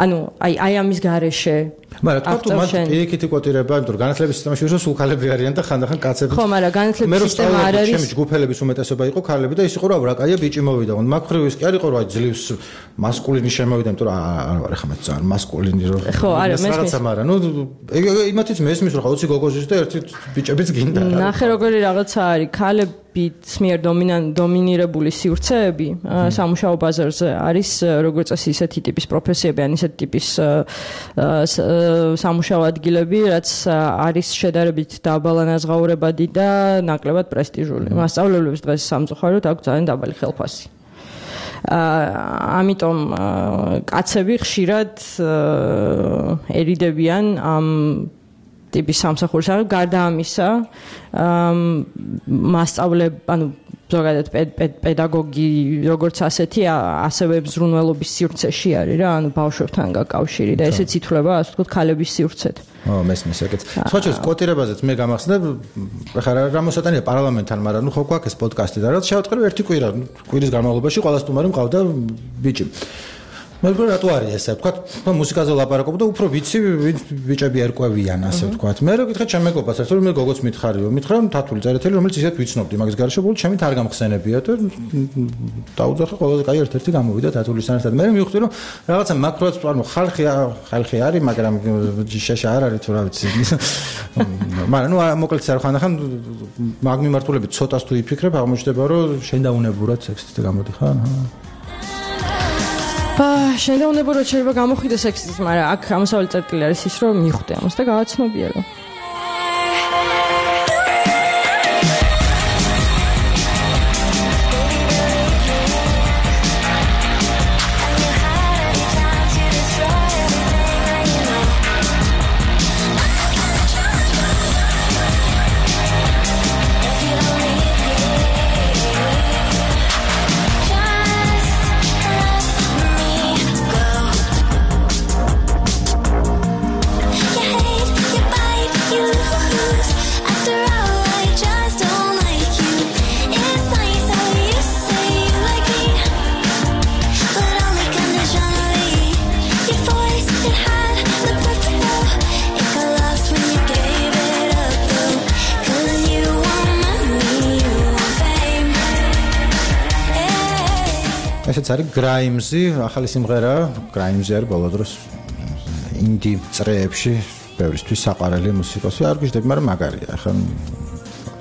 ანუ აი აი ამის გარეშე მაგრამ თქვა თუ მათ პირიქითი კვოტირება, იმიტომ რომ განათლების სისტემაში ვისო სულ ქალები არიან და ხანდახან კაცები. ხო, მაგრამ განათლების სისტემა არ არის. ჩემი ჯგუფელების უმეტესობა იყო ქალები და ის იყო რომ რა კაია ბიჭი მოვიდა. მაგ მხრივ ის კი არ იყო რომ აი ძლივს მასკულინი შემოვიდა, იმიტომ რომ არ ვარ ახლა მე ძალიან მასკულინი რომ. ხო, არა, მესმის. რაღაცა მაგრამ ნუ იმათიც მესმის რომ ხა ოცი გოგოზის და ერთი ბიჭებიც გინდა რა. ნახე როგორი რაღაცა არის, ქალები ქალების მიერ დომინირებული სივრცეები სამუშაო ბაზარზე არის როგორც წესი ისეთი ტიპის პროფესიები, ან ისეთი ტიპის სამუშაო ადგილები, რაც არის შედარებით დაბალანაზღაურებადი და ნაკლებად პრესტიჟული. მასწავლებლებს დღეს სამწუხაროდ აქვს ძალიან დაბალი ხელფასი. ამიტომ კაცები ხშირად ერიდებიან ამ ტიპის სამსახურს. გარდა ამისა, მასწავლებ, ანუ ზოგადად პედაგოგი როგორც ასეთი, ასევე ზრუნველობის სივრცეში არის რა, ანუ ბავშვებთან გაკავშირი და ესეც ითვლება, ასე ვთქვათ, ქალების სივრცეთ. ო, მესმის ეგეც. სხვა შორის კოტირებაზეც მე გამახსენებ, ხარა რა მოსატანია პარლამენტთან, მაგრამ ნუ ხო გვაქვს ეს პოდკასტი და რაც შევატყრი ერთი კვირა, კვირის განმავლობაში ყველა სტუმარი მყავდა ბიჭი. მე ვფიქრობ რატო არის ესე ვთქვათ, მუსიკაზე ლაპარაკობ და უფრო ვიცი ბიჭები ერკვევიან ასე ვთქვათ. მე რო გითხრა ჩემ მეგობარს, ასე რომ მე გოგოც მითხარიო, მითხრა თათული წერეთელი, რომელიც ისეთ ვიცნობდი, მაგის გარშე ბოლო ჩემით არ გამხსენებია და დაუძახე ყველაზე კაი ერთ-ერთი გამოვიდა თათულისთან ერთად. მე მივხვდი რომ რაღაცა მაკროც ანუ ხალხი ხალხი არის, მაგრამ შეშა არ არის თუ რა ვიცი. მაგრამ ნუ მოკლედ არ ხანდახან მაგ მიმართულებით ცოტას თუ იფიქრებ, აღმოჩნდება რომ შენ დაუნებურად სექსისტი გამოდიხარ. შენ დაუნებურად შეიძლება გამოხვიდე სექსიზმი, მაგრამ აქ ამოსავალი წერტილი არის ის, რომ მიხვდე ამას და გავაცნობია რომ ესეც არის გრაიმზი, ახალი სიმღერა, გრაიმზი არის ბოლო დროს ინდი წრეებში ბევრისთვის საყვარელი მუსიკოსი, არ გიждები, მაგრამ მაგარია. ახლა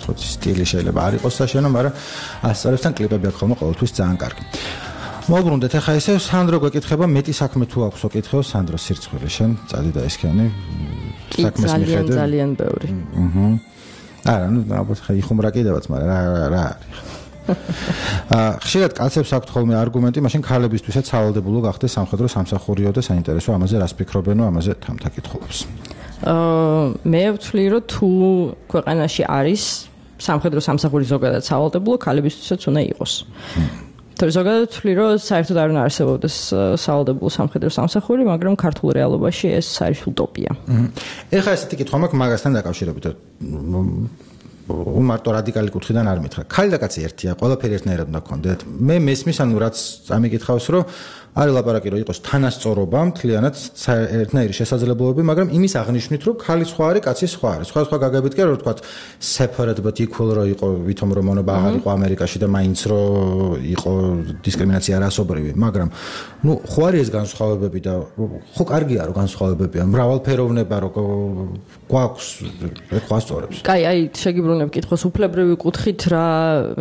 ცოტა სტილი შეიძლება არ იყოს საშენო, მაგრამ ასწორებთან კლიპები აქვს ხოლმე ყოველთვის ძალიან კარგი. მოვბრუნდეთ ახლა ესე სანდრო გვეკითხება, მეტი საქმე თუ აქვს ოკითხეო სანდრო სირცხვილი, შენ წადი და ესქანი საქმეს მიხედე. ძალიან ბევრი. აჰა. არა, ნუ ალბათ ხა იხუმრა კიდევაც, მაგრამ რა რა არის. ხშირად კაცებს აქვთ ხოლმე არგუმენტი, მაშინ ქალებისთვისაც სავალდებულო გახდეს სამხედრო სამსახურიო და საინტერესო, ამაზე რას ფიქრობენო, ამაზე თამთა კითხულობს. აა მე ვთვლი, რომ თუ ქვეყანაში არის სამხედრო სამსახური ზოგადად სავალდებულო, ქალებისთვისაც უნდა იყოს. თორე ზოგადად ვთვლი, რომ საერთოდ არ უნდა არსებობდეს სავალდებულო სამხედრო სამსახური, მაგრამ ქართულ რეალობაში ეს არის უტოპია. ეხლა ესეთი კითხვა მაქვს მაგასთან დაკავშირებით. უმარტო რადიკალი კუთხიდან არ მითხრა. ქალი და კაცი ერთია, ყველაფერი ერთნაირად უნდა გქონდეთ. მე მესმის, ანუ რაც ამიგითხავს, რომ არის ლაპარაკი, რომ იყოს თანასწორობა, მთლიანად ერთნაირი შესაძლებლობები, მაგრამ იმის აღნიშვნით, რომ ქალი სხვა არის, კაცი სხვა არის. სხვა სხვა გაგებით კი, რომ ვთქვათ, separate but equal რო იყო, ვითომ რომ მონობა აღარ იყო ამერიკაში და მაინც რო იყო დისკრიმინაცია რასობრივი, მაგრამ ნუ ხო არის ეს განსხვავებები და ხო კარგია რომ განსხვავებებია, მრავალფეროვნება რო გვაქვს, ხო ასწორებს. კაი, აი, შეგიბრუნებ კითხოს უფლებრივი კუთხით, რა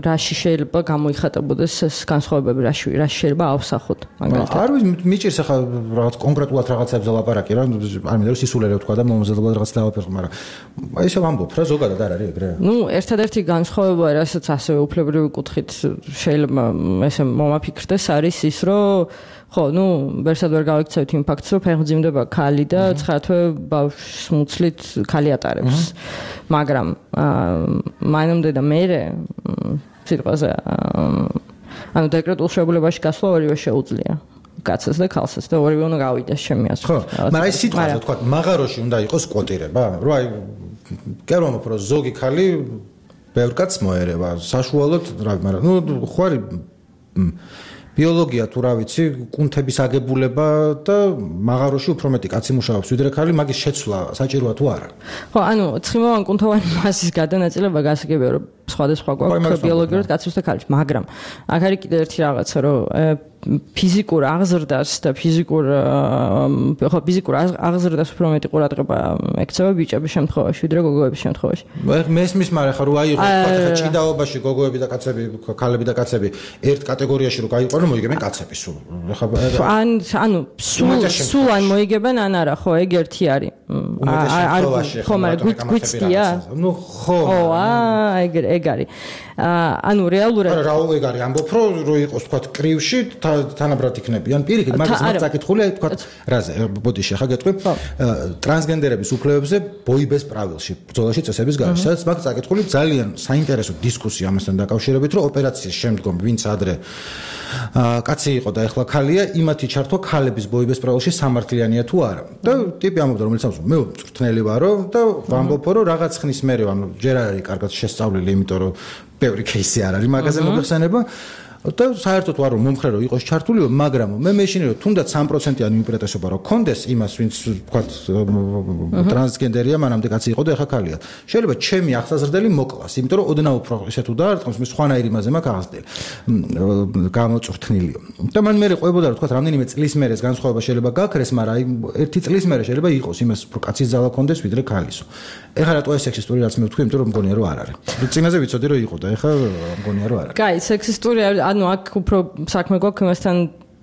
რაში შეიძლება გამოიხატებოდეს ეს განსხვავებები, რაში რაში შეიძლება ავსახოთ, მაგალითად. არ ვიცი, მიჭირს ახლა რაღაც კონკრეტულად რაღაცებზე ლაპარაკი რა, არ მინდა რომ სისულელე ვთქვა და მომზადებლად რაღაც დავაფერხო, მაგრამ ისე ვამბობ რა, ზოგადად არ არის ეგრე. ნუ ერთადერთი განსხვავება, რასაც ასევე უფლებრივი კუთხით შეიძლება ესე მომაფიქრდეს, არის ის, რომ ხო, ნუ ვერსად ვერ გავიქცევთ იმ ფაქტს, რომ ფეხმძიმდება ქალი და ცხრა თვე ბავშვს მუცლით ქალი ატარებს. მაგრამ მაინამდე და მერე სიტყვაზე ანუ დეკრეტულ შეულებაში გასვლა ორივე შეუძლია. კაცს და ქალსაც და ორივე უნდა გავიდეს ჩემი აზრით. ხო, მაგრამ ეს სიტყვაზე თქვა, მაღაროში უნდა იყოს კვოტირება, რომ აი გერმანო პრო ზოგი ქალი ბევრ კაცს მოერევა, საშუალოდ რა, მაგრამ ნუ ხო არის ბიოლოგია თუ რა ვიცი, კუნთების აგებულება და მაღაროში უფრო მეტი კაცი მუშაობს, ვიდრე ქალი, მაგის შეცვლა საჭიროა თუ არა. ხო, ანუ ცხიმოვან კუნთოვანი მასის გადანაწილება გასაგებია, რომ სხვადასხვა გვაქვს ბიოლოგიურად კაცის და ქალის, მაგრამ აქ არის კიდე ერთი რაღაცა, რომ ფიზიკურ აღზრდას და ფიზიკურ ხო ფიზიკურ აღზრდას უფრო მეტი ყურადღება ექცევა ბიჭების შემთხვევაში, ვიდრე გოგოების შემთხვევაში. მესმის, მაგრამ ხა რო აიღო თქვა ჭიდაობაში გოგოები და კაცები, ქალები და კაცები ერთ კატეგორიაში რო გაიყვანო, მოიგებენ კაცები სულ. ან ანუ სულ სულ ან მოიგებენ ან არა, ხო, ეგ ერთი არის. არ ხო, მაგრამ გვიცდია? ნუ ხო. ო, აა, ეგ ეგ არის. ანუ რეალურად არა, რა ეგ არის, ამბობ რო რო იყოს თქვა კრივში თანაბრად იქნებიან. პირიქით, მაგას მაგ წაკითხულია თქვა რაზე, ბოდიში ხა გეტყვი. ტრანსგენდერების უფლებებზე ბოიბეს პრავილში, ბრძოლაში წესების გარშე, სადაც მაგ წაკითხული ძალიან საინტერესო დისკუსია ამასთან დაკავშირებით, რომ ოპერაციის შემდგომ ვინც ადრე კაცი იყო და ეხლა ქალია, იმათი ჩართვა ქალების ბოიბეს პრავილში სამართლიანია თუ არა. და ტიპი ამბობდა, რომელიც ამბობს, მე მწვრთნელი ვარო და ვამბობო, რომ რაღაც ხნის მერე, ანუ ჯერ არ არის კარგად შესწავლილი, იმიტომ რომ ბევრი кейსი არ არის მაგაზე მოგეხსენება. და საერთოდ ვარ რომ მომხრე რომ იყოს ჩართული, მაგრამ მე მეშინე რომ თუნდაც სამი პროცენტიანი უპირატესობა რომ კონდეს იმას, ვინც თქვა ტრანსგენდერია, მანამდე კაცი იყო და ეხა ქალია. შეიძლება ჩემი ახსაზრდელი მოკლას, იმიტომ რომ ოდნავ უფრო ესე თუ დაარტყმს, მე სხვანაირი იმაზე მაქვს აღზრდელი. გამოწვრთნილიო. და მან მე ყვებოდა რომ თქვა რამდენიმე წლის მერე ეს განსხვავება შეიძლება გაქრეს, მაგრამ აი ერთი წლის მერე შეიძლება იყოს იმას უფრო კაცის ძალა კონდეს ვიდრე ქალისო. ეხლა რატო ეს სექსისტური რაც მე ვთქვი, იმიტომ რომ მგონია რომ არ არის. წინაზე ვიცოდი რომ იყო და ეხლა მგონია რომ არ არის. კაი, სექსისტური ანუ აქ უფრო საქმე გვაქვს იმასთან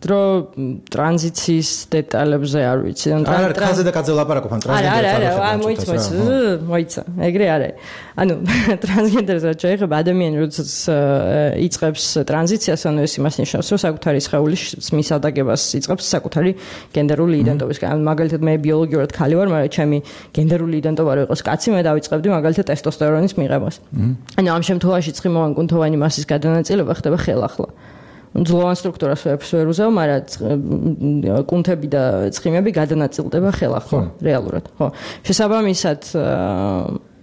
რომ ტრანზიციის დეტალებზე არ ვიცი. არ არის ხაზე და კაცზე ლაპარაკობ ან ტრანსგენდერზე. არა, არა, არა, მოიცა, მოიცა. ეგრე არის. ანუ ტრანსგენდერზე შეიძლება ადამიანი როდესაც იწყებს ტრანზიციას, ანუ ეს იმას ნიშნავს, რომ საკუთარი სხეულის მისადაგებას იწყებს საკუთარი გენდერული იდენტობისგან. ანუ მაგალითად მე ბიოლოგიურად ქალი ვარ, მაგრამ ჩემი გენდერული იდენტობა რო იყოს კაცი, მე დავიწყებდი მაგალითად ტესტოსტერონის მიღებას. ანუ ამ შემთხვევაში ცხიმოვანი კუნთოვანი მასის გადანაწილება ხდება ხელახლა. ძლოვან სტრუქტურას ვერაფერს ვერ უზავ, მაგრამ კუნთები და ცხიმები გადანაწილდება ხელახლა, რეალურად, ხო. შესაბამისად,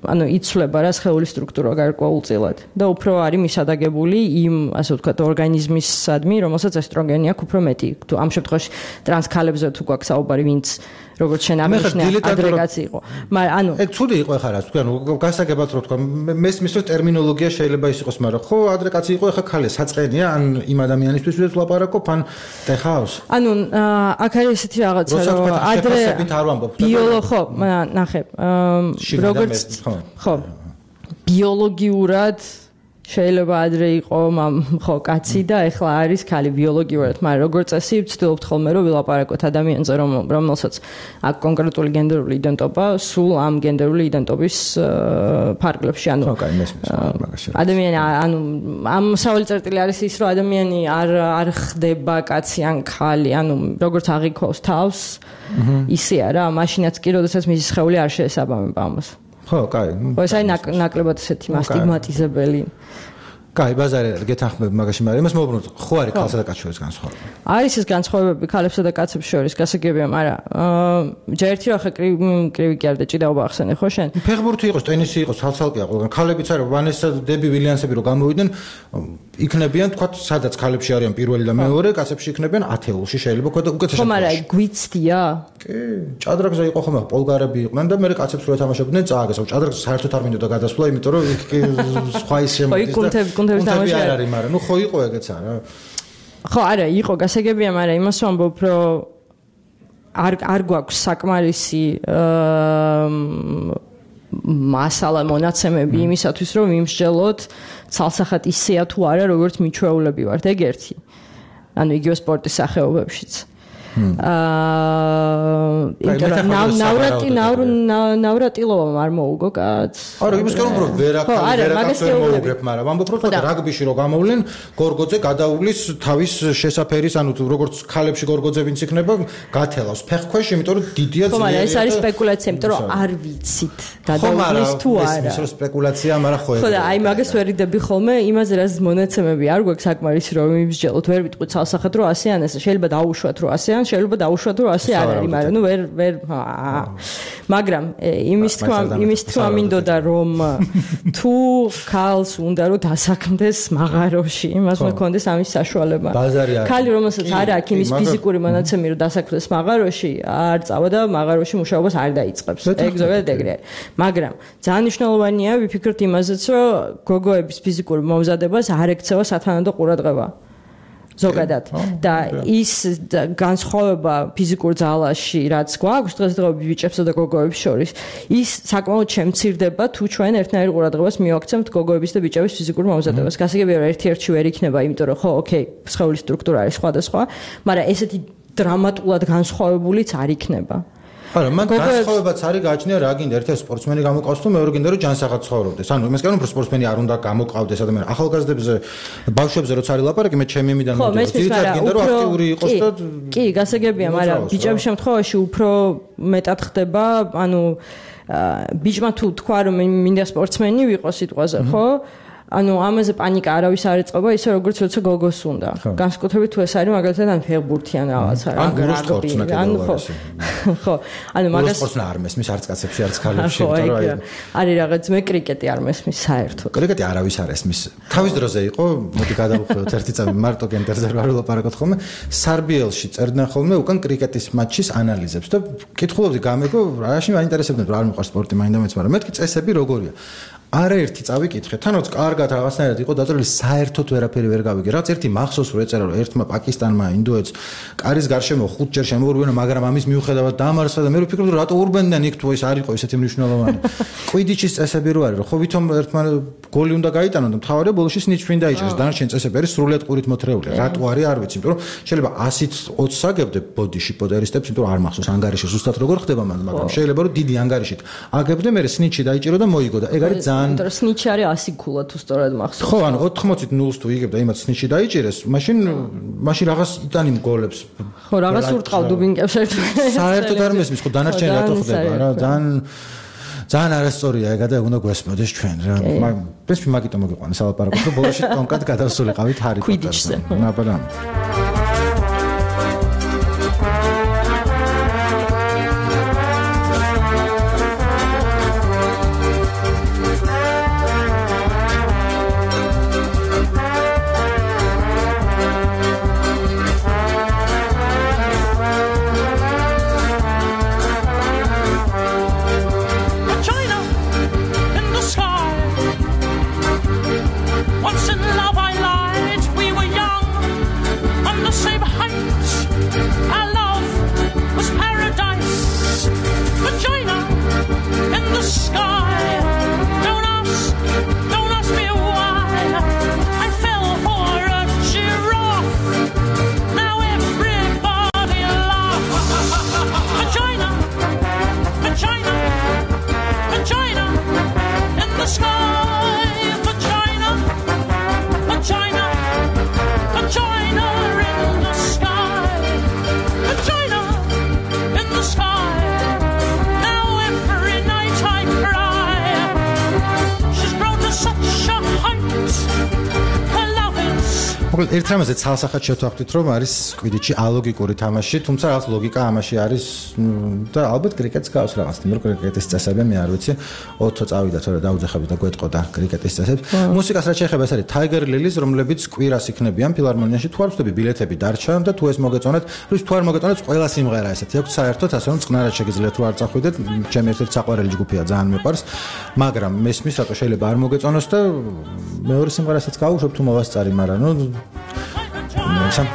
ანუ იცვლება რა სხეულის სტრუქტურა გარკვეულწილად და უფრო არის მისადაგებული იმ, ასე ვთქვათ, ორგანიზმისადმი, რომელსაც ესტროგენი აქვს უფრო მეტი. თუ ამ შემთხვევაში ტრანსქალებზე თუ გვაქვს საუბარი, ვინც როგორც შენ აღნიშნე, აგრეგაცი იყო. მაგრამ ანუ ეგ ცუდი იყო ახლა რა, თქვი, ანუ გასაგებად რო თქვა, მესმის რომ ტერმინოლოგია შეიძლება ის იყოს, მაგრამ ხო, ადრე კაცი იყო, ახლა ქალია, საწყენია, ან იმ ადამიანისთვის ვიდრე ლაპარაკობ, ან ტეხავს. ანუ აქ არის ესეთი რაღაცა, რომ ადრე ბიოლო ხო, ნახე, როგორც ხო, ბიოლოგიურად შეიძლება ადრე იყო ხო კაცი და ეხლა არის ქალი ბიოლოგიურად, მაგრამ როგორც წესი ვცდილობთ ხოლმე რომ ვილაპარაკოთ ადამიანზე, რომელსაც აქ კონკრეტული გენდერული იდენტობა სულ ამ გენდერული იდენტობის ფარგლებში, ანუ ადამიანი, ანუ ამ სავალი წერტილი არის ის, რომ ადამიანი არ არ ხდება კაცი ან ქალი, ანუ როგორც აღიქვავს თავს, ისეა რა, მაშინაც კი, როდესაც მისი სხეული არ შეესაბამება ამას. ხო, კაი. ხო, ეს არის ნაკლებად ესეთი მასტიგმატიზებელი. კაი, ბაზარი არის, გეთანხმები მაგაში, მაგრამ იმას მოვუბრუნოთ, ხო არის ქალსა და კაცს შორის განსხვავება? არის ეს განსხვავებები ქალებსა და კაცებს შორის, გასაგებია, მაგრამ ჯერ ერთი რა ხა კრივი კი არ და ჭიდაობა ახსენე, ხო შენ? ფეხბურთი იყოს, ტენისი იყოს, ცალ-ცალკეა ყველგან. ქალებიც არის, ვანესა დები ვილიანსები რო გამოვიდნენ, იქნებიან, თქვა, სადაც ქალებში არიან პირველი და მეორე, კაცებში იქნებიან ათეულში შეიძლება თქვა და უკეთესად. ხო, მაგრამ გვიცდია? კი, ჭადრაკზე იყო ხომ, პოლგარები იყვნენ და მე კაცებს რო ეთამაშებდნენ, წააგეს, ჭადრაკზე საერთოდ არ მინდოდა გადასვლა, იმიტომ რომ იქ სხვა ის შემოდის და კონტექსტი თამაში არ არის, მაგრამ ნუ ხო იყო ეგეც არა. ხო, არა, იყო გასაგებია, მაგრამ იმას ვამბობ, რომ არ არ გვაქვს საკმარისი მასალა მონაცემები იმისათვის, რომ ვიმსჯელოთ ცალსახად ისეა თუ არა, როგორც მიჩვეულები ვართ, ეგ ერთი. ანუ იგივე სპორტის სახეობებშიც. აა ნავრატი ნავრატილობა არ მოუგო კაც. არა, იმის გამო რომ ვერაკალი ვერაკაც ვერ მოუგებ, მაგრამ ამბობ რომ რაგბიში რო გამოვლენ, გორგოძე გადაუვლის თავის შესაფერის, ანუ როგორც ქალებში გორგოძე ვინც იქნება, გათელავს ფეხქვეშ, იმიტომ რომ დიდია ძლიერი. ხო, მაგრამ ეს არის სპეკულაცია, იმიტომ რომ არ ვიცით გადაუვლის თუ არა. ეს ის სპეკულაცია, მაგრამ ხო ეგ. ხო და აი მაგას ვერიდები ხოლმე, იმაზე რაც მონაცემები არ გვაქვს საკმარისი რომ იმსჯელოთ, ვერ ვიტყვით ცალსახად რომ ასე ან ესე, შეიძლება დაუშვათ რომ ასე ან შეიძლება დაუშვათ რომ ასე არ არის, მაგრამ ნუ ვერ ვერ მაგრამ იმის თქვა იმის თქვა მინდოდა რომ თუ ქალს უნდა რომ დასაქმდეს მაღაროში, იმას მქონდეს ამის საშუალება. ქალი რომელსაც არ აქვს იმის ფიზიკური მონაცემი რომ დასაქმდეს მაღაროში, არ წავა და მაღაროში მუშაობას არ დაიწყებს. ეგ ზოგადად ეგრე არის. მაგრამ ძალიან მნიშვნელოვანია ვიფიქროთ იმაზეც, რომ გოგოების ფიზიკური მომზადებას არ ექცევა სათანადო ყურადღება. ზოგადად და ის განსხვავება ფიზიკურ ძალაში რაც გვაქვს დღესდღეობით ბიჭებსა და გოგოებს შორის ის საკმაოდ შემცირდება თუ ჩვენ ერთნაირ ყურადღებას მივაქცევთ გოგოების და ბიჭების ფიზიკურ მომზადებას. გასაგებია რომ ერთ-ერთი ვერ იქნება, იმიტომ რომ ხო, ოკეი, სხეულის სტრუქტურა არის სხვადასხვა, მაგრამ ესეთი დრამატულად განსხვავებულიც არ იქნება. არა, მან განსხვავებაც არის გააჩნია რა გინდა, ერთ-ერთი სპორტსმენი გამოყავს თუ მეორე გინდა რომ ჯანსაღად ცხოვრობდეს. ანუ იმას κάνω, რომ სპორტსმენი არ უნდა გამოყავდეს ადამიანი. ახალგაზრდებზე, ბავშვებზე როცა არის ლაპარაკი, მე ჩემი იმიდან მოვიდა. ძირითადად გინდა რომ აქტიური იყოს და კი, გასაგებია, მაგრამ ბიჭების შემთხვევაში უფრო მეტად ხდება, ანუ ბიჭმა თუ თქვა რომ მინდა სპორტსმენი ვიყო სიტყვაზე, ხო? ანუ ამაზე პანიკა არავის არ ეწყობა, ისე როგორც როცა გოგოს უნდა. განსაკუთრებით თუ ეს არის მაგალითად ან ფეხბურთი ან რაღაცა რა. ან ხო. ხო. ანუ მაგას სპორტსნა არ მესმის არც კაცებში, არც ქალებში, იმიტომ რომ არის რაღაც მე კრიკეტი არ მესმის საერთოდ. კრიკეტი არავის არ ესმის. თავის დროზე იყო, მოდი გადავუხვევთ ერთი წამი მარტო გენდერზე რა ვლაპარაკობთ ხოლმე. სარბიელში წერდნენ ხოლმე უკან კრიკეტის მატჩის ანალიზებს და კითხულობდი გამეგო, რაში მაინტერესებდნენ რომ არ მიყვარს სპორტი მაინდა-მაინც, მაგრამ მეთქი წესები როგორია. არაერთი წავიკითხე, თანაც კარგად რაღაცნაირად იყო დაწერილი, საერთოდ ვერაფერი ვერ გავიგე. რაც ერთი მახსოვს რომ ეწერა რომ ერთმა პაკისტანმა ინდოეთს კარის გარშემო ხუთჯერ შემოურბენა, მაგრამ ამის მიუხედავად დამარცხა და მე ვფიქრობ რომ რატო ურბენდნენ იქ თუ ეს არ იყო ესეთი მნიშვნელოვანი. კვიდიჩის წესები რო არის, რომ ხო ვითომ ერთმა გოლი უნდა გაიტანონ და მთავარია ბოლოში სნიჩფრინ დაიჭერს. დანარჩენი წესები არის სრულიად ყურით მოთრეული. რატო არის არ ვიცი, იმიტომ რომ შეიძლება ასით ოცს აგებდე ბოდიში პოდერისტებს, იმიტომ რომ არ მახსოვს ანგარიში ზუსტად როგორ ხდება მან, მაგრამ შეიძლება რომ დიდი ანგარიშით აგებდე, მე სნიჩი დაიჭირო და მოიგო და ეგ არის იმიტომ რომ სნიჩი არის ასი ქულა თუ სწორად მახსოვს. ხო, ანუ ოთხმოცით ნულს თუ იგებ და იმათ სნიჩი დაიჭერეს, მაშინ მაშინ რაღაც იტანი გოლებს. ხო, რაღაც ურტყავ დუბინკებს ერთმანეთს. საერთოდ არ მესმის, ხო, დანარჩენი რატო ხდება რა? ძალიან ძალიან არასწორია ეგა და უნდა გვესმოდეს ჩვენ რა. პრინციპი მაგიტომ მოგიყვანეს ალაპარაკოთ, რომ ბოლოში ტონკად გადავსულიყავით ჰარი პოტერზე. ნაბადა. ერთ რამაზე ცალსახად შევთანხმდით, რომ არის კვიდიჩი ალოგიკური თამაში, თუმცა რაღაც ლოგიკა ამაში არის და ალბათ კრიკეტს გავს რაღაც, მაგრამ კრიკეტის წესები მე არ ვიცი, ოთხ წავიდა თორე დაუძახები და გვეტყოდა კრიკეტის წესებს. მუსიკას რაც შეეხება, ეს არის Tiger Lilies, რომლებიც კვირას იქნებიან ფილარმონიაში, თუ არ ვწდები ბილეთები დარჩა და თუ ეს მოგეწონათ, ის თუ არ მოგეწონათ, ყველა სიმღერა ესეთი აქვს საერთოდ, ასე რომ წყნარად შეგიძლიათ თუ არ წახვიდეთ, ჩემი ერთ-ერთი საყვარელი ჯგუფია, ძალიან მიყვარს, მაგრამ მესმის რატო შეიძლება არ მოგეწონოს და მეორე სიმღერასაც გავუშვებ თუ მოვასწარი, მაგრამ ნუ სამ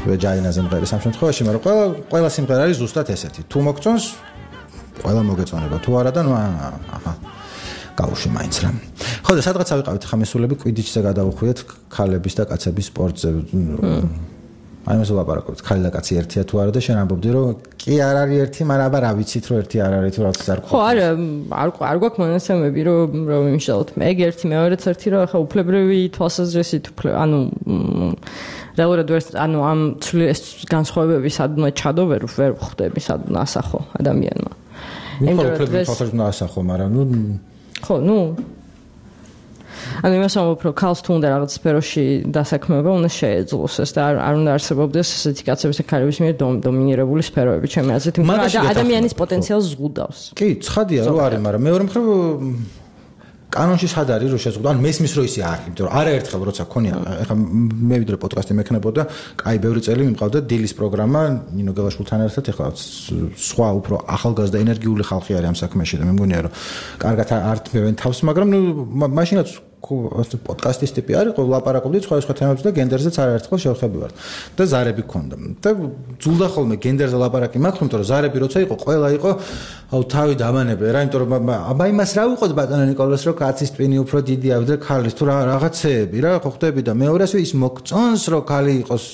ვეჯაინაზე მღერის ამ შემთხვევაში, მაგრამ ყველა ყველა სიმღერა არის ზუსტად ესეთი. თუ მოგწონს, ყველა მოგეწონება, თუ არა და ნუ აჰა გავუშვი მაინც რა. ხო და სადღაც ავიყავით ხა მესულები კვიდიჩზე გადავუხვიეთ ქალების და კაცების სპორტზე. აი მას ვლაპარაკობთ, ქალი და კაცი ერთია თუ არა და შენ ამბობდი რომ კი არ არის ერთი, მაგრამ აბა რა ვიცით რომ ერთი არ არის თუ რაღაც არ ხო არა, არ არ გვაქვს მონაცემები რომ რომ იმშალოთ. მე ერთი მეორეც ერთი რომ ხა უფლებრივი თვალსაზრისით ანუ რეალურად ვერ ანუ ამ ცვლილის განსხვავებები სადმე ჩადო ვერ ვერ ხვდები სადმე ასახო ადამიანმა. იმიტომ რომ უფლებრივი თვალსაზრისით ასახო, მაგრამ ნუ ხო, ნუ ანუ იმას ამბობ, რომ ქალს თუ უნდა რაღაც სფეროში დასაქმება, უნდა შეეძლოს ეს და არ არ უნდა არსებობდეს ესეთი კაცების და ქალების მიერ დომინირებული სფეროები, ჩემი აზრით, მაგრამ ადამიანის პოტენციალს ზღუდავს. კი, ცხადია რომ არის, მაგრამ მეორე მხრივ კანონში სად არის რომ შეზღუდო, ანუ მესმის რომ ისე არის, იმიტომ რომ არაერთხელ როცა ქონია, ეხლა მე ვიდრე პოდკასტი მექნებოდა, კაი ბევრი წელი მიმყავდა დილის პროგრამა ნინო გელაშვილთან ერთად, ეხლა სხვა უფრო ახალგაზრდა ენერგიული ხალხი არის ამ საქმეში და მე მგონია რომ კარგად არ თმევენ თავს, მაგრამ ნუ მაშინაც პოდკასტის ტიპი არის, ლაპარაკობდით სხვადასხვა თემებზე და გენდერზეც არაერთხელ შევხვდები ვარ. და ზარები გქონდა. და ძულდა ხოლმე გენდერზე ლაპარაკი მაქვს, იმიტომ რომ ზარები როცა იყო, ყველა იყო აუ თავი დამანებე რა, იმიტომ რომ აბა იმას რა უყოთ ბატონო ნიკოლას, რომ კაცის ტვინი უფრო დიდია ვიდრე ქალის, თუ რაღაცეები რა ხო ხდები და მეორე ასე ის მოგწონს რომ ქალი იყოს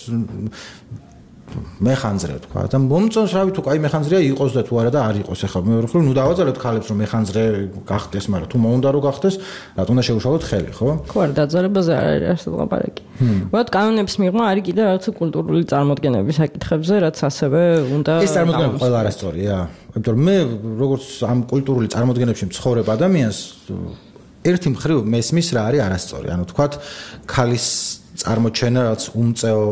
მეხანძრე თქვა და მომწონს რავი თუ კაი მეხანძრეა იყოს და თუ არა და არ იყოს ახლა მეორე მხრივ ნუ დავაძალოთ ქალებს რომ მეხანძრე გახდეს მაგრამ თუ მოუნდა რომ გახდეს რატომ უნდა შეუშალოთ ხელი ხო ხო არ დაძალებაზე არ არის ასე ლაპარაკი ვთქვათ კანონების მიღმა არის კიდე რაღაცა კულტურული წარმოდგენების საკითხებზე რაც ასევე უნდა ეს წარმოდგენები ყველა არასწორია იმიტომ რომ მე როგორც ამ კულტურული წარმოდგენებში მცხოვრებ ადამიანს ერთი მხრივ მესმის რა არის არასწორი ანუ ვთქვათ ქალის წარმოჩენა რაც უმწეო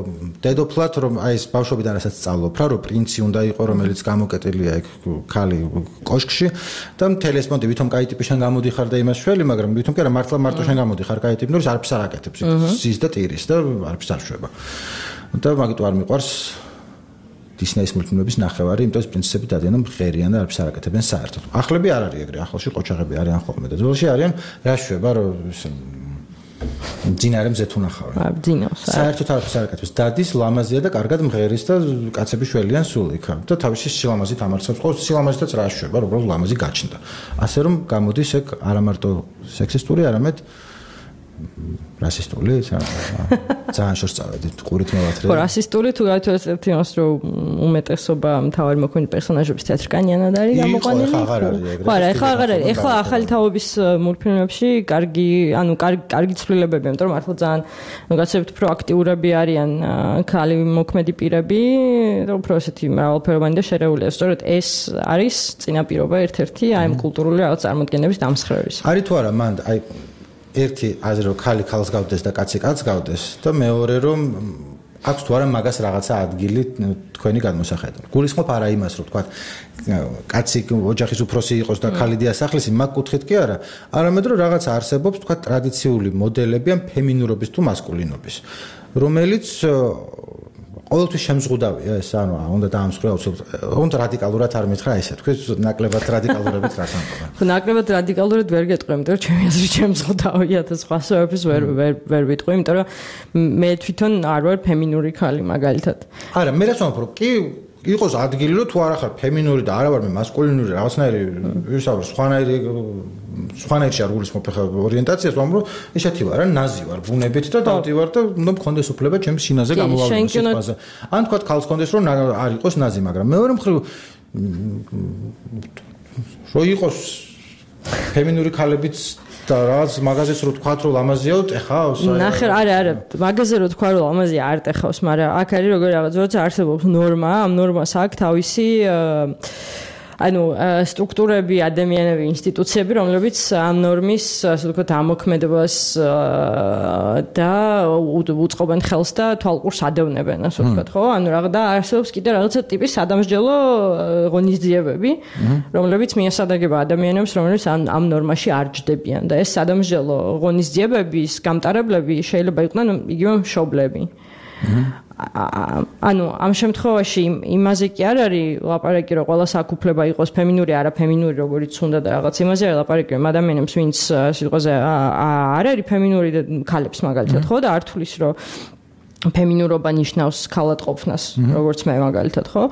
დედოფლად რომ აი ეს ბავშვობიდან რასაც სწავლობ რა რომ პრინცი უნდა იყოს რომელიც გამოკეტილია ეგ ქალი კოშკში და მთელი ეს მონდი ვითომ კაი ტიპი შენ გამოდიხარ და იმას შველი მაგრამ ვითომ კი არა მართლა მარტო შენ გამოდიხარ კაი ტიპი ნუ არაფერს არ აკეთებს ზის და ტირის და არაფერს არ შვება და მაგით არ მიყვარს დისნეის მულტფილმების ნახევარი იმიტომ ეს პრინციპები დადიან მღერიან და არაფერს არ აკეთებენ საერთოდ ახლები არ არის ეგრე ახლში ყოჩაღები არიან ხოლმე და ძველში არიან რა შვება რომ ძინარე მზეთ უნახავენ. აა ძინავს. საერთოდ არაფერს არ აკეთებს. დადის ლამაზია და კარგად მღერის და კაცები შველიან სულ იქ. და თავისი სილამაზით ამარცხებს. ყოველ სილამაზითაც რა შვება, რომ უბრალოდ ლამაზი გაჩნდა. ასე რომ გამოდის ეგ არა მარტო სექსისტური, არამედ რასისტული, ძალიან შორს წავედით, ყურით მოვათრე. ხო, რასისტული თუ გაითვალისწინებთ იმას, რომ უმეტესობა მთავარი მოქმედი პერსონაჟების თეატრკანიანად არის გამოყვანილი. ხო, ახლა აღარ არის ეგრე. ხო, ახლა აღარ არის. ახლა ახალი თაობის მულტფილმებში კარგი, ანუ კარგი კარგი ცვლილებებია, იმიტომ რომ მართლა ძალიან გაცემთ პროაქტიურები არიან ქალი მოქმედი პირები და უფრო ესეთი მრავალფეროვანი და შერეულია. სწორედ ეს არის წინაპირობა ერთ-ერთი აი ამ კულტურული რაღაც წარმოდგენების დამსხვრევის. არის თუ არა მანდ აი ერთი აზრი რომ ქალი ქალს გავდეს და კაცი კაცს გავდეს და მეორე რომ აქვს თუ არა მაგას რაღაცა ადგილი თქვენი გადმოსახედა. გულისხმობ არა იმას რომ თქვა კაცი ოჯახის უფროსი იყოს და ქალი დიასახლისი მაგ კუთხით კი არა, არამედ რომ რაღაცა არსებობს თქვა ტრადიციული მოდელები ამ ფემინურობის თუ მასკულინობის, რომელიც ყოველთვის შემზღუდავია ეს ანუ უნდა დაამსხვრა აუცილებლად უნდა რადიკალურად არ მითხრა ესე თქვენ ნაკლებად რადიკალურებით რას ამბობენ ხო ნაკლებად რადიკალურად ვერ გეტყვი იმიტომ რომ ჩემი აზრით შემზღუდავია და სხვა საერთოდ ვერ ვერ ვერ ვიტყვი იმიტომ რომ მე თვითონ არ ვარ ფემინური ქალი მაგალითად არა მე რაც ვამბობ კი იყოს ადგილი რომ თუ არ ახარ ფემინური და არა ვარ მე მასკულინური რაღაცნაირი ვისაუბრ სხვანაირი სხვანაირში არ გულისხმობ ხა ორიენტაციას ვამბობ ესეთი ვარ რა ნაზი ვარ ბუნებით და დავდივარ და უნდა მქონდეს უფლება ჩემს შინაზე გამოვავალოს სიტყვაზე ან თქვა ქალს მქონდეს რომ არ იყოს ნაზი მაგრამ მეორე მხრივ რო იყოს ფემინური ქალებიც და რაღაც მაგაზეც რო თქვა რომ ლამაზიაოთ ეხავს ნახე არა არა მაგაზე რო თქვა რომ ლამაზია არ ეხავს მაგრამ აქ არის როგორ რაღაც როცა არსებობს ნორმა ამ ნორმას აქვს თავისი ანუ სტრუქტურები, ადამიანები, ინსტიტუციები, რომლებიც ამ ნორმის, ასე ვთქვათ, ამოქმედებას და უწყობენ ხელს და თვალყურს ადევნებენ, ასე ვთქვათ, ხო? ანუ რაღაც და არსებობს კიდე რაღაცა ტიპის სადამსჯელო ღონისძიებები, რომლებიც მიესადაგება ადამიანებს, რომლებიც ამ ამ ნორმაში არ ჯდებიან და ეს სადამსჯელო ღონისძიებების გამტარებლები შეიძლება იყვნენ იგივე მშობლები. ანუ ამ შემთხვევაში იმაზე კი არ არის ლაპარაკი რომ ყველა საკუფლება იყოს ფემინური არა ფემინური როგორიც უნდა და რაღაც იმაზე არის ლაპარაკი რომ ადამიანებს ვინც სიტყვაზე არ არის ფემინური და ქალებს მაგალითად ხო და არ თulis რომ ფემინურობა ნიშნავს ქალად ყოფნას როგორც მე მაგალითად ხო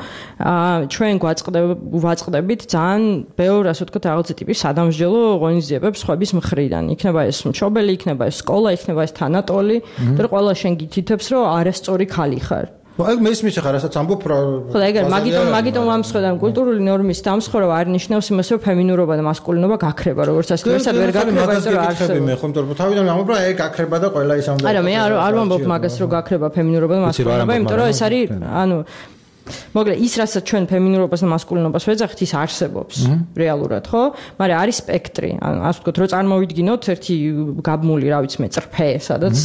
აა ჩვენ გვაწყდებით ძალიან ბევრ ასე ვთქვათ რაღაცა ტიპის სადამსჯელო ღონისძიებებს სხვების მხრიდან იქნება ეს მშობელი იქნება ეს სკოლა იქნება ეს თანატოლი და ყველა შენ გითითებს რომ არასწორი ქალი ხარ აი მე ისმის ხარ რასაც ამბობ რა ხო და ეგრე მაგიტომ მაგიტომ ამსხვედან კულტურული ნორმის დამსხვრევა არ ნიშნავს იმას რომ ფემინურობა და მასკულინობა გაქრება როგორც ასე ვერსად ვერ გაქრება ეს რომ არსებობს მე ხომ თორე თავიდან ამბობ რა ეგ გაქრება და ყველა ის ამბობს არა მე არ არ ვამბობ მაგას რომ გაქრება ფემინურობა და მასკულინობა იმიტომ რომ ეს არის ანუ მოგლე ის რასაც ჩვენ ფემინურობას და მასკულინობას ვეძახით ის არსებობს რეალურად ხო მაგრამ არის სპექტრი ანუ ასე ვთქვათ რომ წარმოვიდგინოთ ერთი გაბმული რა ვიცი მე წრფე სადაც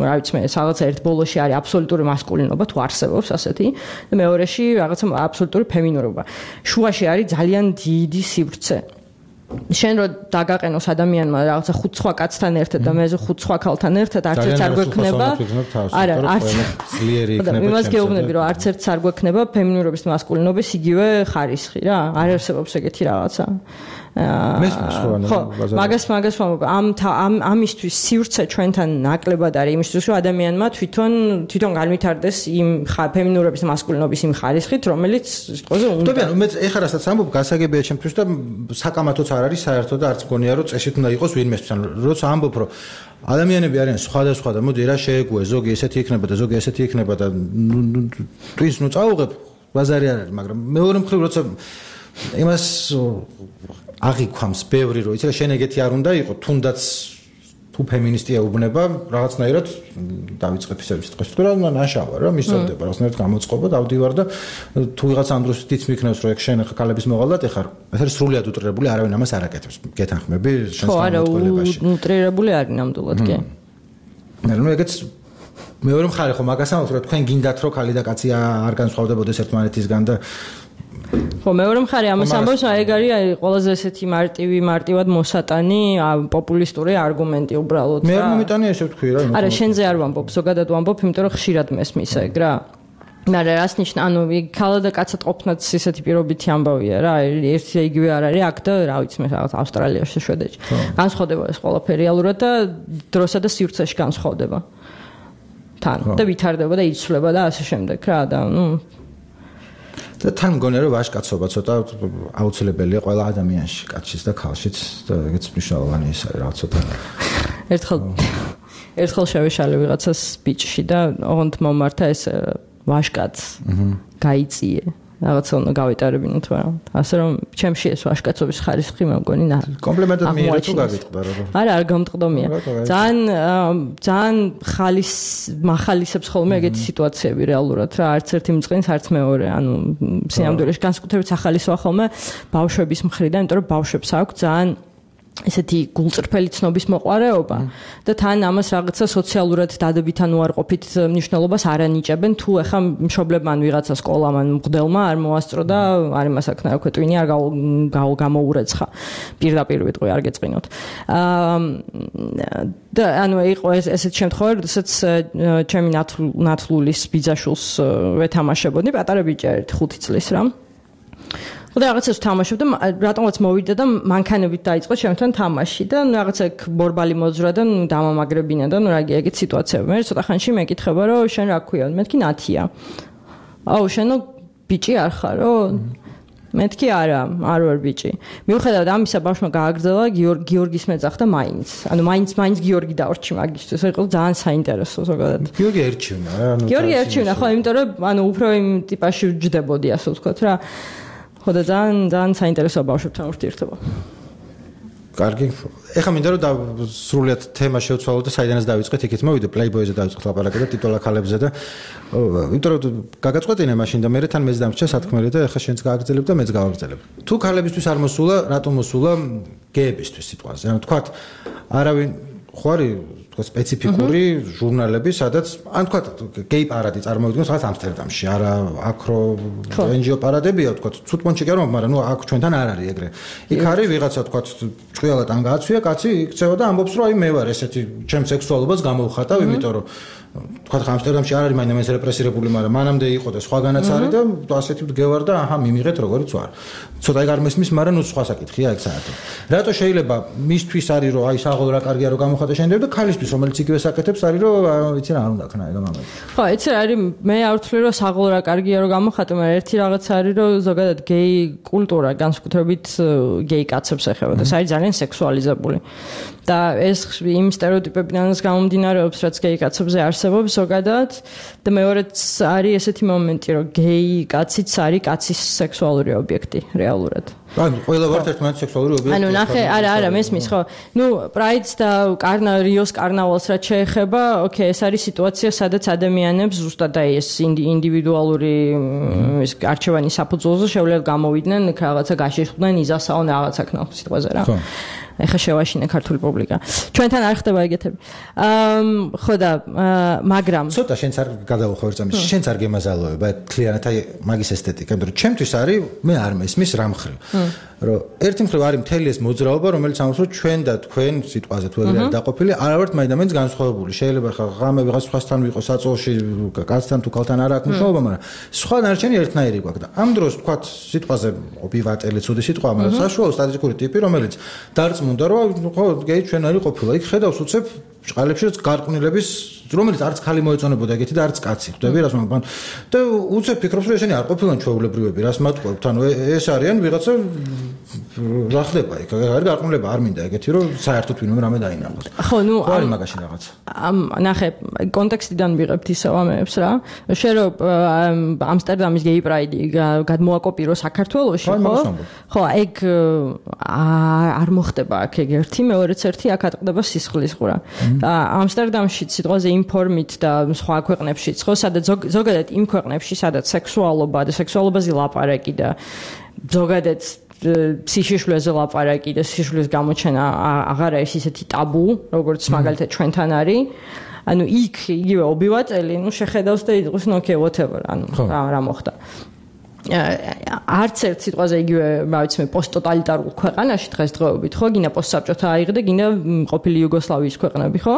რა ვიცი მე სადაც ერთ ბოლოში არის აბსოლუტური მასკულინობა თუ არსებობს ასეთი და მეორეში რაღაცა აბსოლუტური ფემინურობა შუაში არის ძალიან დიდი სივრცე შენ რო დაგაყენოს ადამიანმა რაღაცა ხუთ სხვა კაცთან ერთად და მე ხუთ სხვა ქალთან ერთად არც ერთს არ გვექნება არა არც ძლიერი იქნება იმას გეუბნები რომ არც ერთს არ გვექნება ფემინურობის და მასკულინობის იგივე ხარისხი რა არ არსებობს ეგეთი რაღაცა მესმის ხო ანუ მაგას მაგას ამ ამ ამისთვის სივრცე ჩვენთან ნაკლებად არის იმისთვის რომ ადამიანმა თვითონ თვითონ განვითარდეს იმ ფემინურობის და მასკულინობის იმ ხარისხით რომელიც სიტყვაზე უნდა ტობიან მე ეხლა რასაც ამბობ გასაგებია ჩემთვის და საკამათოც არ არის საერთოდ და არც მგონია რომ წესით უნდა იყოს ვინმესთვის ანუ როცა ამბობ რომ ადამიანები არიან სხვადასხვა და მოდი რა შეეგუე ზოგი ესეთი იქნება და ზოგი ესეთი იქნება და ტვინს ნუ წაუღებ ბაზარი არ არის მაგრამ მეორე მხრივ როცა იმას აღიქვამს ბევრი რომ იცი რა შენ ეგეთი არ უნდა იყო თუნდაც თუ ფემინისტია უბნება რაღაცნაირად დავიწყებ ისე სიტყვის თუ რა ნაშავა რა მისწოდება რაღაცნაირად გამოწყობა დავდივარ და თუ ვიღაც ამ დროს თიც მიქნევს რომ ეგ შენ ხა ქალების მოღალატე ხარ ეს არის სრულიად უტრირებული არავინ ამას არ აკეთებს გეთანხმები შენს განმარტოებაში ხო არა უტრირებული არის ნამდვილად კი მე რომ ეგეც მეორე მხარე ხო მაგას ამბობთ რომ თქვენ გინდათ რომ ქალი და კაცი არ განსხვავდებოდეს ერთმანეთისგან და ხო მეორე მხარე ამას ამბობს ეგ არის ყველაზე ესეთი მარტივი მარტივად მოსატანი პოპულისტური არგუმენტი უბრალოდ მე არ მომიტანია ესე ვთქვი რა არა შენზე არ ვამბობ ზოგადად ვამბობ იმიტომ რომ ხშირად მესმის ეგ რა მაგრამ რას ნიშნა ანუ ქალა და კაცად ყოფნაც ისეთი პირობითი ამბავია რა ერთი იგივე არ არის აქ და რა ვიცი მე რაღაც ავსტრალიაში შვედეთში განსხვავდება ეს ყველაფერი რეალურად და დროსა და სივრცეში განსხვავდება თან და ვითარდება და იცვლება და ასე შემდეგ რა და ნუ და თან მგონია რომ ვაჟკაცობა ცოტა აუცილებელია ყველა ადამიანში, კაცშიც და ქალშიც და ეგეც მნიშვნელოვანი ის არის რაღაც ცოტა. ერთხელ ერთხელ შევეშალე ვიღაცას ბიჭში და ოღონდ მომართა ეს ვაჟკაცს. გაიწიე. რაღაცა უნდა გავიტარებინოთ, მაგრამ ასე რომ ჩემში ეს ვაჟკაცობის ხარისხი მე მგონი ნა. კომპლიმენტად მიიღე თუ გაგიტყდა რა. არა, არ გამტყდომია. ძალიან ძალიან ხალის מחალისებს ხოლმე ეგეთი სიტუაციები რეალურად რა, არც ერთი მწყინს, არც მეორე. ანუ სინამდვილეში განსაკუთრებით ახალისვა ხოლმე ბავშვების მხრიდან, იმიტომ რომ ბავშვებს აქვს ძალიან ესეთი გულწრფელი ცნობის მოყარეობა და თან ამას რაღაცა სოციალურად დადებითან უარყოფით მნიშვნელობას არ ანიჭებენ თუ ეხა მშობლებმა ან ვიღაცა სკოლამ ან მღვდელმა არ მოასწრო და არ იმას აქნა რა ქვეტვინი არ გამოურეცხა პირდაპირ ვიტყვი არ გეწყინოთ და ანუ იყო ესეთ შემთხვევაში როდესაც ჩემი ნათლულის ბიძაშვილს ვეთამაშებოდი პატარა ბიჭი არის ხუთი წლის რა და რაღაცას თამაშობ და რატომაც მოვიდა და მანქანებით დაიწყო ჩემთან თამაში და ნუ რაღაცა ბორბალი მოძრა და ნუ დამამაგრებინა და ნუ რა ეგეთ სიტუაციები მე ცოტა ხანში მეკითხება რომ შენ რა ქვია მეთქი ნათია აუ შენო ბიჭი არ ხარო მეთქი არა არ ვარ ბიჭი მიუხედავად ამისა ბავშვმა გააგრძელა გიორგის მეძახ და მაინც ანუ მაინც მაინც გიორგი დაორჩი მაგისთვის იყო ძალიან საინტერესო ზოგადად გიორგი ერჩივნა რა ანუ გიორგი ერჩივნა ხო იმიტომ რომ ანუ უფრო იმ ტიპაში ვჯდებოდი ასე ვთქვათ რა ხო და ძალიან ძალიან საინტერესოა ბავშვებთან ურთიერთობა. კარგი. ეხლა მინდა რომ სრულიად თემა შევცვალოთ და საიდანაც დავიწყეთ, იქით მოვიდე Playboy-ზე დავიწყეთ ლაპარაკი და ტიტოლა ქალებზე და იმიტომ რომ გაგაწყვეტინე მაშინ და მე თან მეც დამრჩა სათქმელი და ეხლა შენც გააგრძელებ და მეც გავაგრძელებ. თუ ქალებისთვის არ მოსულა, რატომ მოსულა გეებისთვის სიტყვაზე? ანუ თქვათ არავინ ხო არის თქვა სპეციფიკური ჟურნალები, სადაც ან თქვა გეი პარადი წარმოვიდგინოთ სადაც ამსტერდამში, არა აკრო ენჯიო პარადებია, თქვა ცუდმონჩი კი არ მაგრამ ნუ აქ ჩვენთან არ არის ეგრე. იქ არის ვიღაცა თქვა ჭყიალად ან გააცვია, კაცი იქცევა და ამბობს რომ აი მე ვარ ესეთი ჩემ სექსუალობას გამოვხატავ, იმიტომ რომ თქვა ამსტერდამში არ არის მაინც ეს რეპრესირებული, მაგრამ მანამდე იყო და სხვაგანაც არის და ასეთი მდგევარ და აჰა მიმიღეთ როგორიც ვარ. ცოტა ეგ არ მესმის, მაგრამ ნუ სხვა საკითხია ეგ საერთოდ. რატო შეიძლება მისთვის არის რომ აი საღოლ რა კარგია რომ გამოხატა შენდები და ქალისთვის რომელიც იგივე საკეთებს არის რომ ვიცი რა არ უნდა ქნა ეგ ამაზე. ხო, ეცე არის მე არ ვთვლი რომ საღოლ რა კარგია რომ გამოხატა, მაგრამ ერთი რაღაც არის რომ ზოგადად გეი კულტურა განსაკუთრებით გეი კაცებს ეხება და ეს არის ძალიან სექსუალიზებული. და ეს იმ სტერეოტიპებიდანაც გამომდინარეობს, რაც გეი კაცებზე არსებობს ზოგადად და მეორეც არის ესეთი მომენტი, რომ გეი კაციც არის კაცის სექსუალური ობიექტი რეალურად. ანუ ყველა ვართ ერთმანეთის სექსუალური ობიექტი. ანუ ნახე, არა, არა, მესმის ხო. ნუ პრაიდს და კარნა რიოს კარნავალს რაც შეეხება, ოკეი, ეს არის სიტუაცია, სადაც ადამიანებს ზუსტად აი ეს ინდივიდუალური ეს არჩევანის საფუძველზე შეუძლიათ გამოვიდნენ, რაღაცა გაშიშვლდნენ, იზასაონ რაღაცა ქნა სიტყვაზე რა. ხო. ეხა შევაშინე ქართული პუბლიკა. ჩვენთან არ ხდება ეგეთები. აა ხო და მაგრამ ცოტა შენც არ გადავუხო ერთ წამს. შენც არ გემაზალოება თლიანად აი მაგის ესთეტიკა, იმიტომ რომ ჩემთვის არის მე არ მესმის რა მხრივ. რომ ერთი მხრივ არის მთელი ეს მოძრაობა, რომელიც ამბობს რომ ჩვენ და თქვენ სიტყვაზე თუ ეგრე არის დაყოფილი, არა ვართ მაინც განსხვავებული. შეიძლება ხა ღამე ვიღაც სხვასთან ვიყო საწოლში, კაცთან თუ ქალთან არ აქვს მნიშვნელობა, მაგრამ სხვა ნარჩენი ერთნაირი გვაქვს და ამ დროს თქვა სიტყვაზე ობივატელი ცუდი სიტყვაა, მაგრამ საშუალო სტატისტიკური ტიპი, რომელიც დარწმუნდა რომ ხო გეი ჩვენ არის ყოფილა. იქ ხედავს უცებ ჭყალებში გარყვნილების რომელიც არც ხალი მოეწონებოდა ეგეთი და არც კაცი. ხვდები რას მაგ და უცებ ფიქრობს რომ ესენი არ ყოფილან ჩვეულებრივები, რას მათყობთ. ანუ ეს არიან ვიღაცა რა ხდება იქ? არ გარყვნილება არ მინდა ეგეთი რომ საერთოდ ვინმე რამე დაინახოს. ხო, ნუ არის მაგაში რაღაც. ამ ნახე კონტექსტიდან ვიღებთ ისევ ამებს რა. შენ რომ ამსტერდამის გეი პრაიდი გადმოაკოპირო საქართველოში, ხო? ხო, ეგ არ მოხდება აქ ეგ ერთი, მეორეც ერთი აქ ატყდება სისხლის ყურა. ამსტერდამში სიტყვაზე ინფორმით და სხვა ქვეყნებშიც, ხო, სადაც ზოგადად იმ ქვეყნებში, სადაც სექსუალობა და სექსუალობაზე ლაპარაკი და ზოგადად სიშიშვლეზე ლაპარაკი და სიშიშვლის გამოჩენა აღარ არის ისეთი ტაბუ, როგორც მაგალითად ჩვენთან არის. ანუ იქ იგივე ობივატელი, ნუ შეხედავს და იყოს ნუ okay whatever, ანუ რა რა მოხდა. არც ერთ სიტყვაზე იგივე, რა ვიცი მე, პოსტტოტალიტარულ ქვეყანაში დღესდღეობით, ხო, გინდა პოსტსაბჭოთა აიღე და გინდა ყოფილი იუგოსლავიის ქვეყნები, ხო?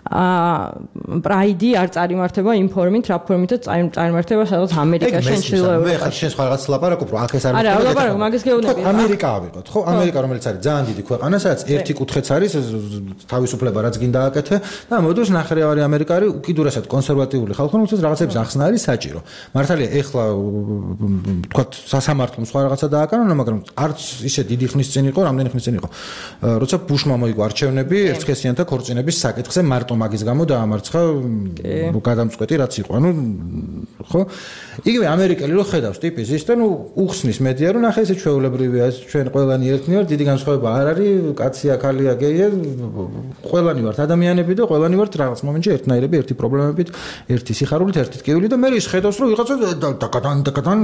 აა პრაიდი არ წარიმართება იმ ფორმით, რა ფორმითაც წარიმართება სადაც ამერიკაში, ჩრდილოეთ მე ხარ შენ სხვა რაღაც ლაპარაკობ, რომ აქ ეს არის. არა, ლაპარაკობ, მაგას გეუბნები. ამერიკა ავიღოთ, ხო? ამერიკა რომელიც არის ძალიან დიდი ქვეყანა, სადაც ერთი კუთხეც არის თავისუფლება, რაც გინდა აკეთე და მოდოს ნახევარი ამერიკა არის უკიდურესად კონსერვატიული ხალხი, რომელსაც რაღაცების ახსნა არის საჭირო. მართალია, ეხლა თქვათ სასამართლომ სხვა რაღაცა დააკანონა, მაგრამ არც ისე დიდი ხნის წინ იყო, რამდენი ხნის წინ იყო. როცა ბუშმა მოიგო არჩევნები ერთსქესიანთა ქორწინების საკითხზე, მარტო მაგის გამო დაამარცხა გადამწყვეტი რაც იყო. ანუ ხო? იგივე ამერიკელი რო ხედავს ტიპის ის და ნუ უხსნის მედია რომ ნახე ესე ჩვეულებრივია, ჩვენ ყველანი ერთნი ვართ, დიდი განსხვავება არ არის, კაცია, ქალია, გეია, ყველანი ვართ ადამიანები და ყველანი ვართ რაღაც მომენტში ერთნაირები, ერთი პრობლემებით, ერთი სიხარულით, ერთი ტკივილი და მე ის ხედავს რომ ვიღაცა დაკადან დაკადან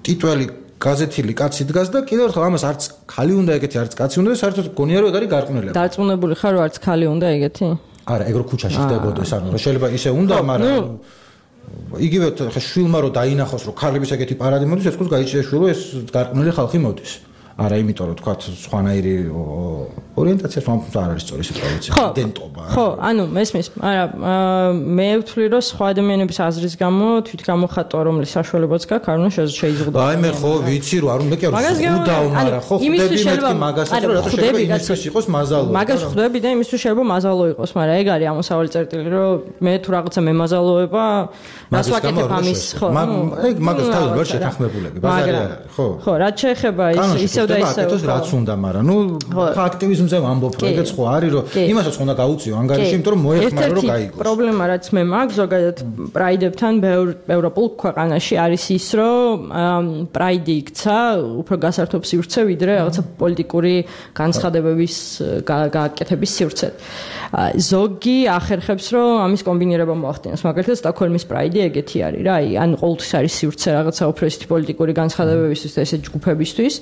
ტიტველი გაზეთილი კაცი დგას და კიდევ ერთხელ ამას არც ხალი უნდა ეგეთი, არც კაცი უნდა, საერთოდ გონია რომ ეგ არის გარყვნილება. დარწმუნებული ხარ რომ არც ხალი უნდა ეგეთი? არა, ეგ რო ქუჩაში ხდებოდეს, ანუ შეიძლება ისე უნდა, მაგრამ იგივე ხა შვილმა რო დაინახოს რომ ქალების ეგეთი პარადი მოდის, ეს ყოს გაიჭირა შვილო ეს გარყვნილი ხალხი მოდის. არა, იმიტომ რომ თქვა სხვანაირი ორიენტაცია თვითონ არ არის სწორი სიტუაცია, იდენტობა. ხო, ანუ მესმის, არა, მე ვთვლი რომ სხვა ადამიანების აზრის გამო თვითგამოხატვა რომლის საშუალებაც გაქვს, არ უნდა შეიზღუდოს. აი მე ხო ვიცი რომ არ უნდა მე კი არ უდავ, მაგრამ ხო ხვდები მეთქი მაგასაც რომ რატო შეიძლება იმისთვის იყოს მაზალო. მაგას ხვდები და იმისთვის შეიძლება მაზალო იყოს, მაგრამ ეგ არის ამოსავალი წერტილი რომ მე თუ რაღაცა მემაზალოება, რას ვაკეთებ ამის, ხო? ეგ მაგას თავი ვერ შეთანხმებულები, ბაზარი არა, ხო. ხო, რაც შეეხება ის და ისევ რაც უნდა, მაგრამ ნუ აქტივიზმზე ვამბობ, რომ ეგეც ხო არის, რომ იმასაც უნდა გაუწიო ანგარიში, იმიტომ რომ მოეხმარო რომ გაიგოს. პრობლემა რაც მე მაქვს ზოგადად პრაიდებთან ბევრ ევროპულ ქვეყანაში არის ის, რომ პრაიდი იქცა უფრო გასართობ სივრცე, ვიდრე რაღაცა პოლიტიკური განცხადებების გააკეთების სივრცე. ზოგი ახერხებს, რომ ამის კომბინირება მოახდინოს. მაგალითად, სტოკჰოლმის პრაიდი ეგეთი არის რა, აი, ან ყოველთვის არის სივრცე რაღაცა უფრო ისეთი პოლიტიკური განცხადებებისთვის და ესე ჯგუფებისთვის.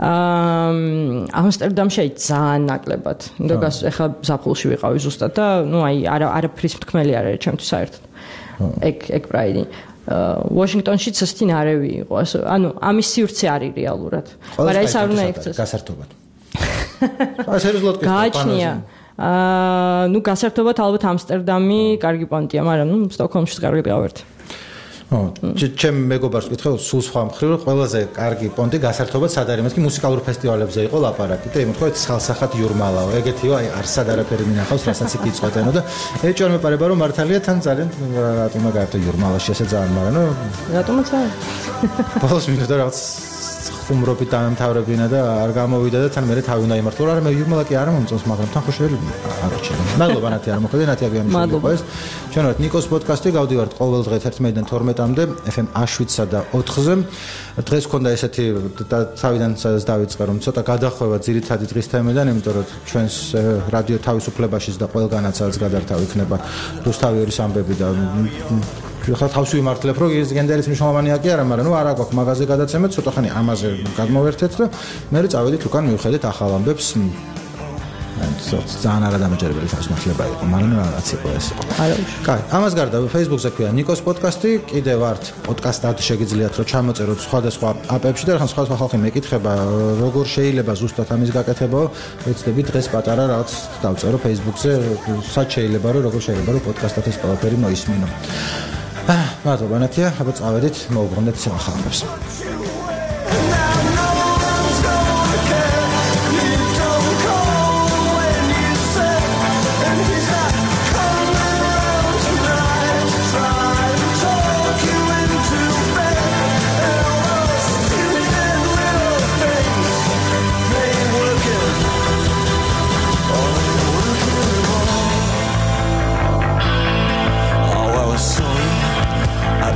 ამსტერდამში აი ძალიან ნაკლებად. ნუ ეხლა ზაფხულში ვიყავი ზუსტად და ნუ აი არა არაფრის მთქმელი არ არის ჩემთვის საერთოდ. ეგ ეგ პრაიდი. ვაშინგტონშიც ასეთი ნარევი იყო. ანუ ამის სივრცე არის რეალურად. მაგრამ ეს არ უნდა იქცეს. გასართობად. აი სერიოზულად კი. გააჩნია. აა ნუ გასართობად ალბათ ამსტერდამი კარგი პონტია, მაგრამ ნუ სტოკჰოლმშიც კარგი გავერთ. ო, ჩემ მეგობარს ვკითხე, სულ სხვა მხრივ, რომ ყველაზე კარგი პონტი გასართობად სად არის, მეთქი მუსიკალურ ფესტივალებზე იყო ლაპარაკი და იმთქვა ხალხსახად იურმალაო, ეგეთიო, აი არსად არაფერი მინახავს, რასაც იქ იწყვეტენო და ეჭვარ მეპარება რომ მართალია თან ძალიან რატომა გაერთო იურმალაში ესე ძალიან, მაგრამ ნუ რატომაც არა. ბოლოს მინდოდა რაღაც ხუმრობით დამთავრებინა და არ გამოვიდა და თან მე თავი უნდა იმართო, არა მე იურმალა კი არ მომწონს, მაგრამ თან ხო შეიძლება არ აჩვენე. მადლობა ნათი არ მოხდა, ნათი აგიანიშვილი იყო ეს. ჩვენ ვართ ნიკოს პოდკასტი, გავდივართ ყოველ დღე თერთმეტიდან თორმეტამდე ეფ ემ შვიდსა და ოთხზე. დღეს ქონდა ესეთი თავიდან სადაც დავიწყე რომ ცოტა გადახვევა ძირითადი დღის თემიდან, იმიტომ რომ ჩვენს რადიო თავისუფლებაშიც და ყველგანაც სადაც გადართავ იქნება რუსთავიერის ამბები და ხა თავში ვიმართლებ, რომ ის გენდერის მნიშვნელოვანია კი არა, მაგრამ ნუ არა გვაქვს მაღაზია გადაცემეთ, ცოტა ხანი ამაზე გადმოვერთეთ და მე წავედით უკან მივხედეთ ახალ ამბებს. ძალიან არადამაჯერებელი თავისმართლება იყო, მაგრამ რაც იყო ეს. არა. კაი, ამას გარდა Facebook-ზე ქვია ნიკოს პოდკასტი, კიდე ვართ პოდკასტად შეგიძლიათ რომ ჩამოწეროთ სხვადასხვა აპებში და ხან სხვადასხვა ხალხი მეკითხება, როგორ შეიძლება ზუსტად ამის გაკეთება, ვეცდები დღეს პატარა რაღაც დავწერო Facebook-ზე, სად შეიძლება რომ როგორ შეიძლება რომ პოდკასტად ეს ყველაფერი მოისმინო. აა, მადლობა ნათია, აბა წავედით, მოვუბრუნდეთ ახალ ამბებს.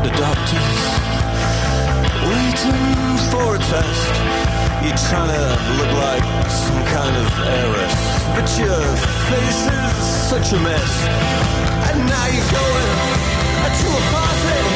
The doctors waiting for a test. You're trying to look like some kind of heiress, but your face is such a mess. And now you're going to a party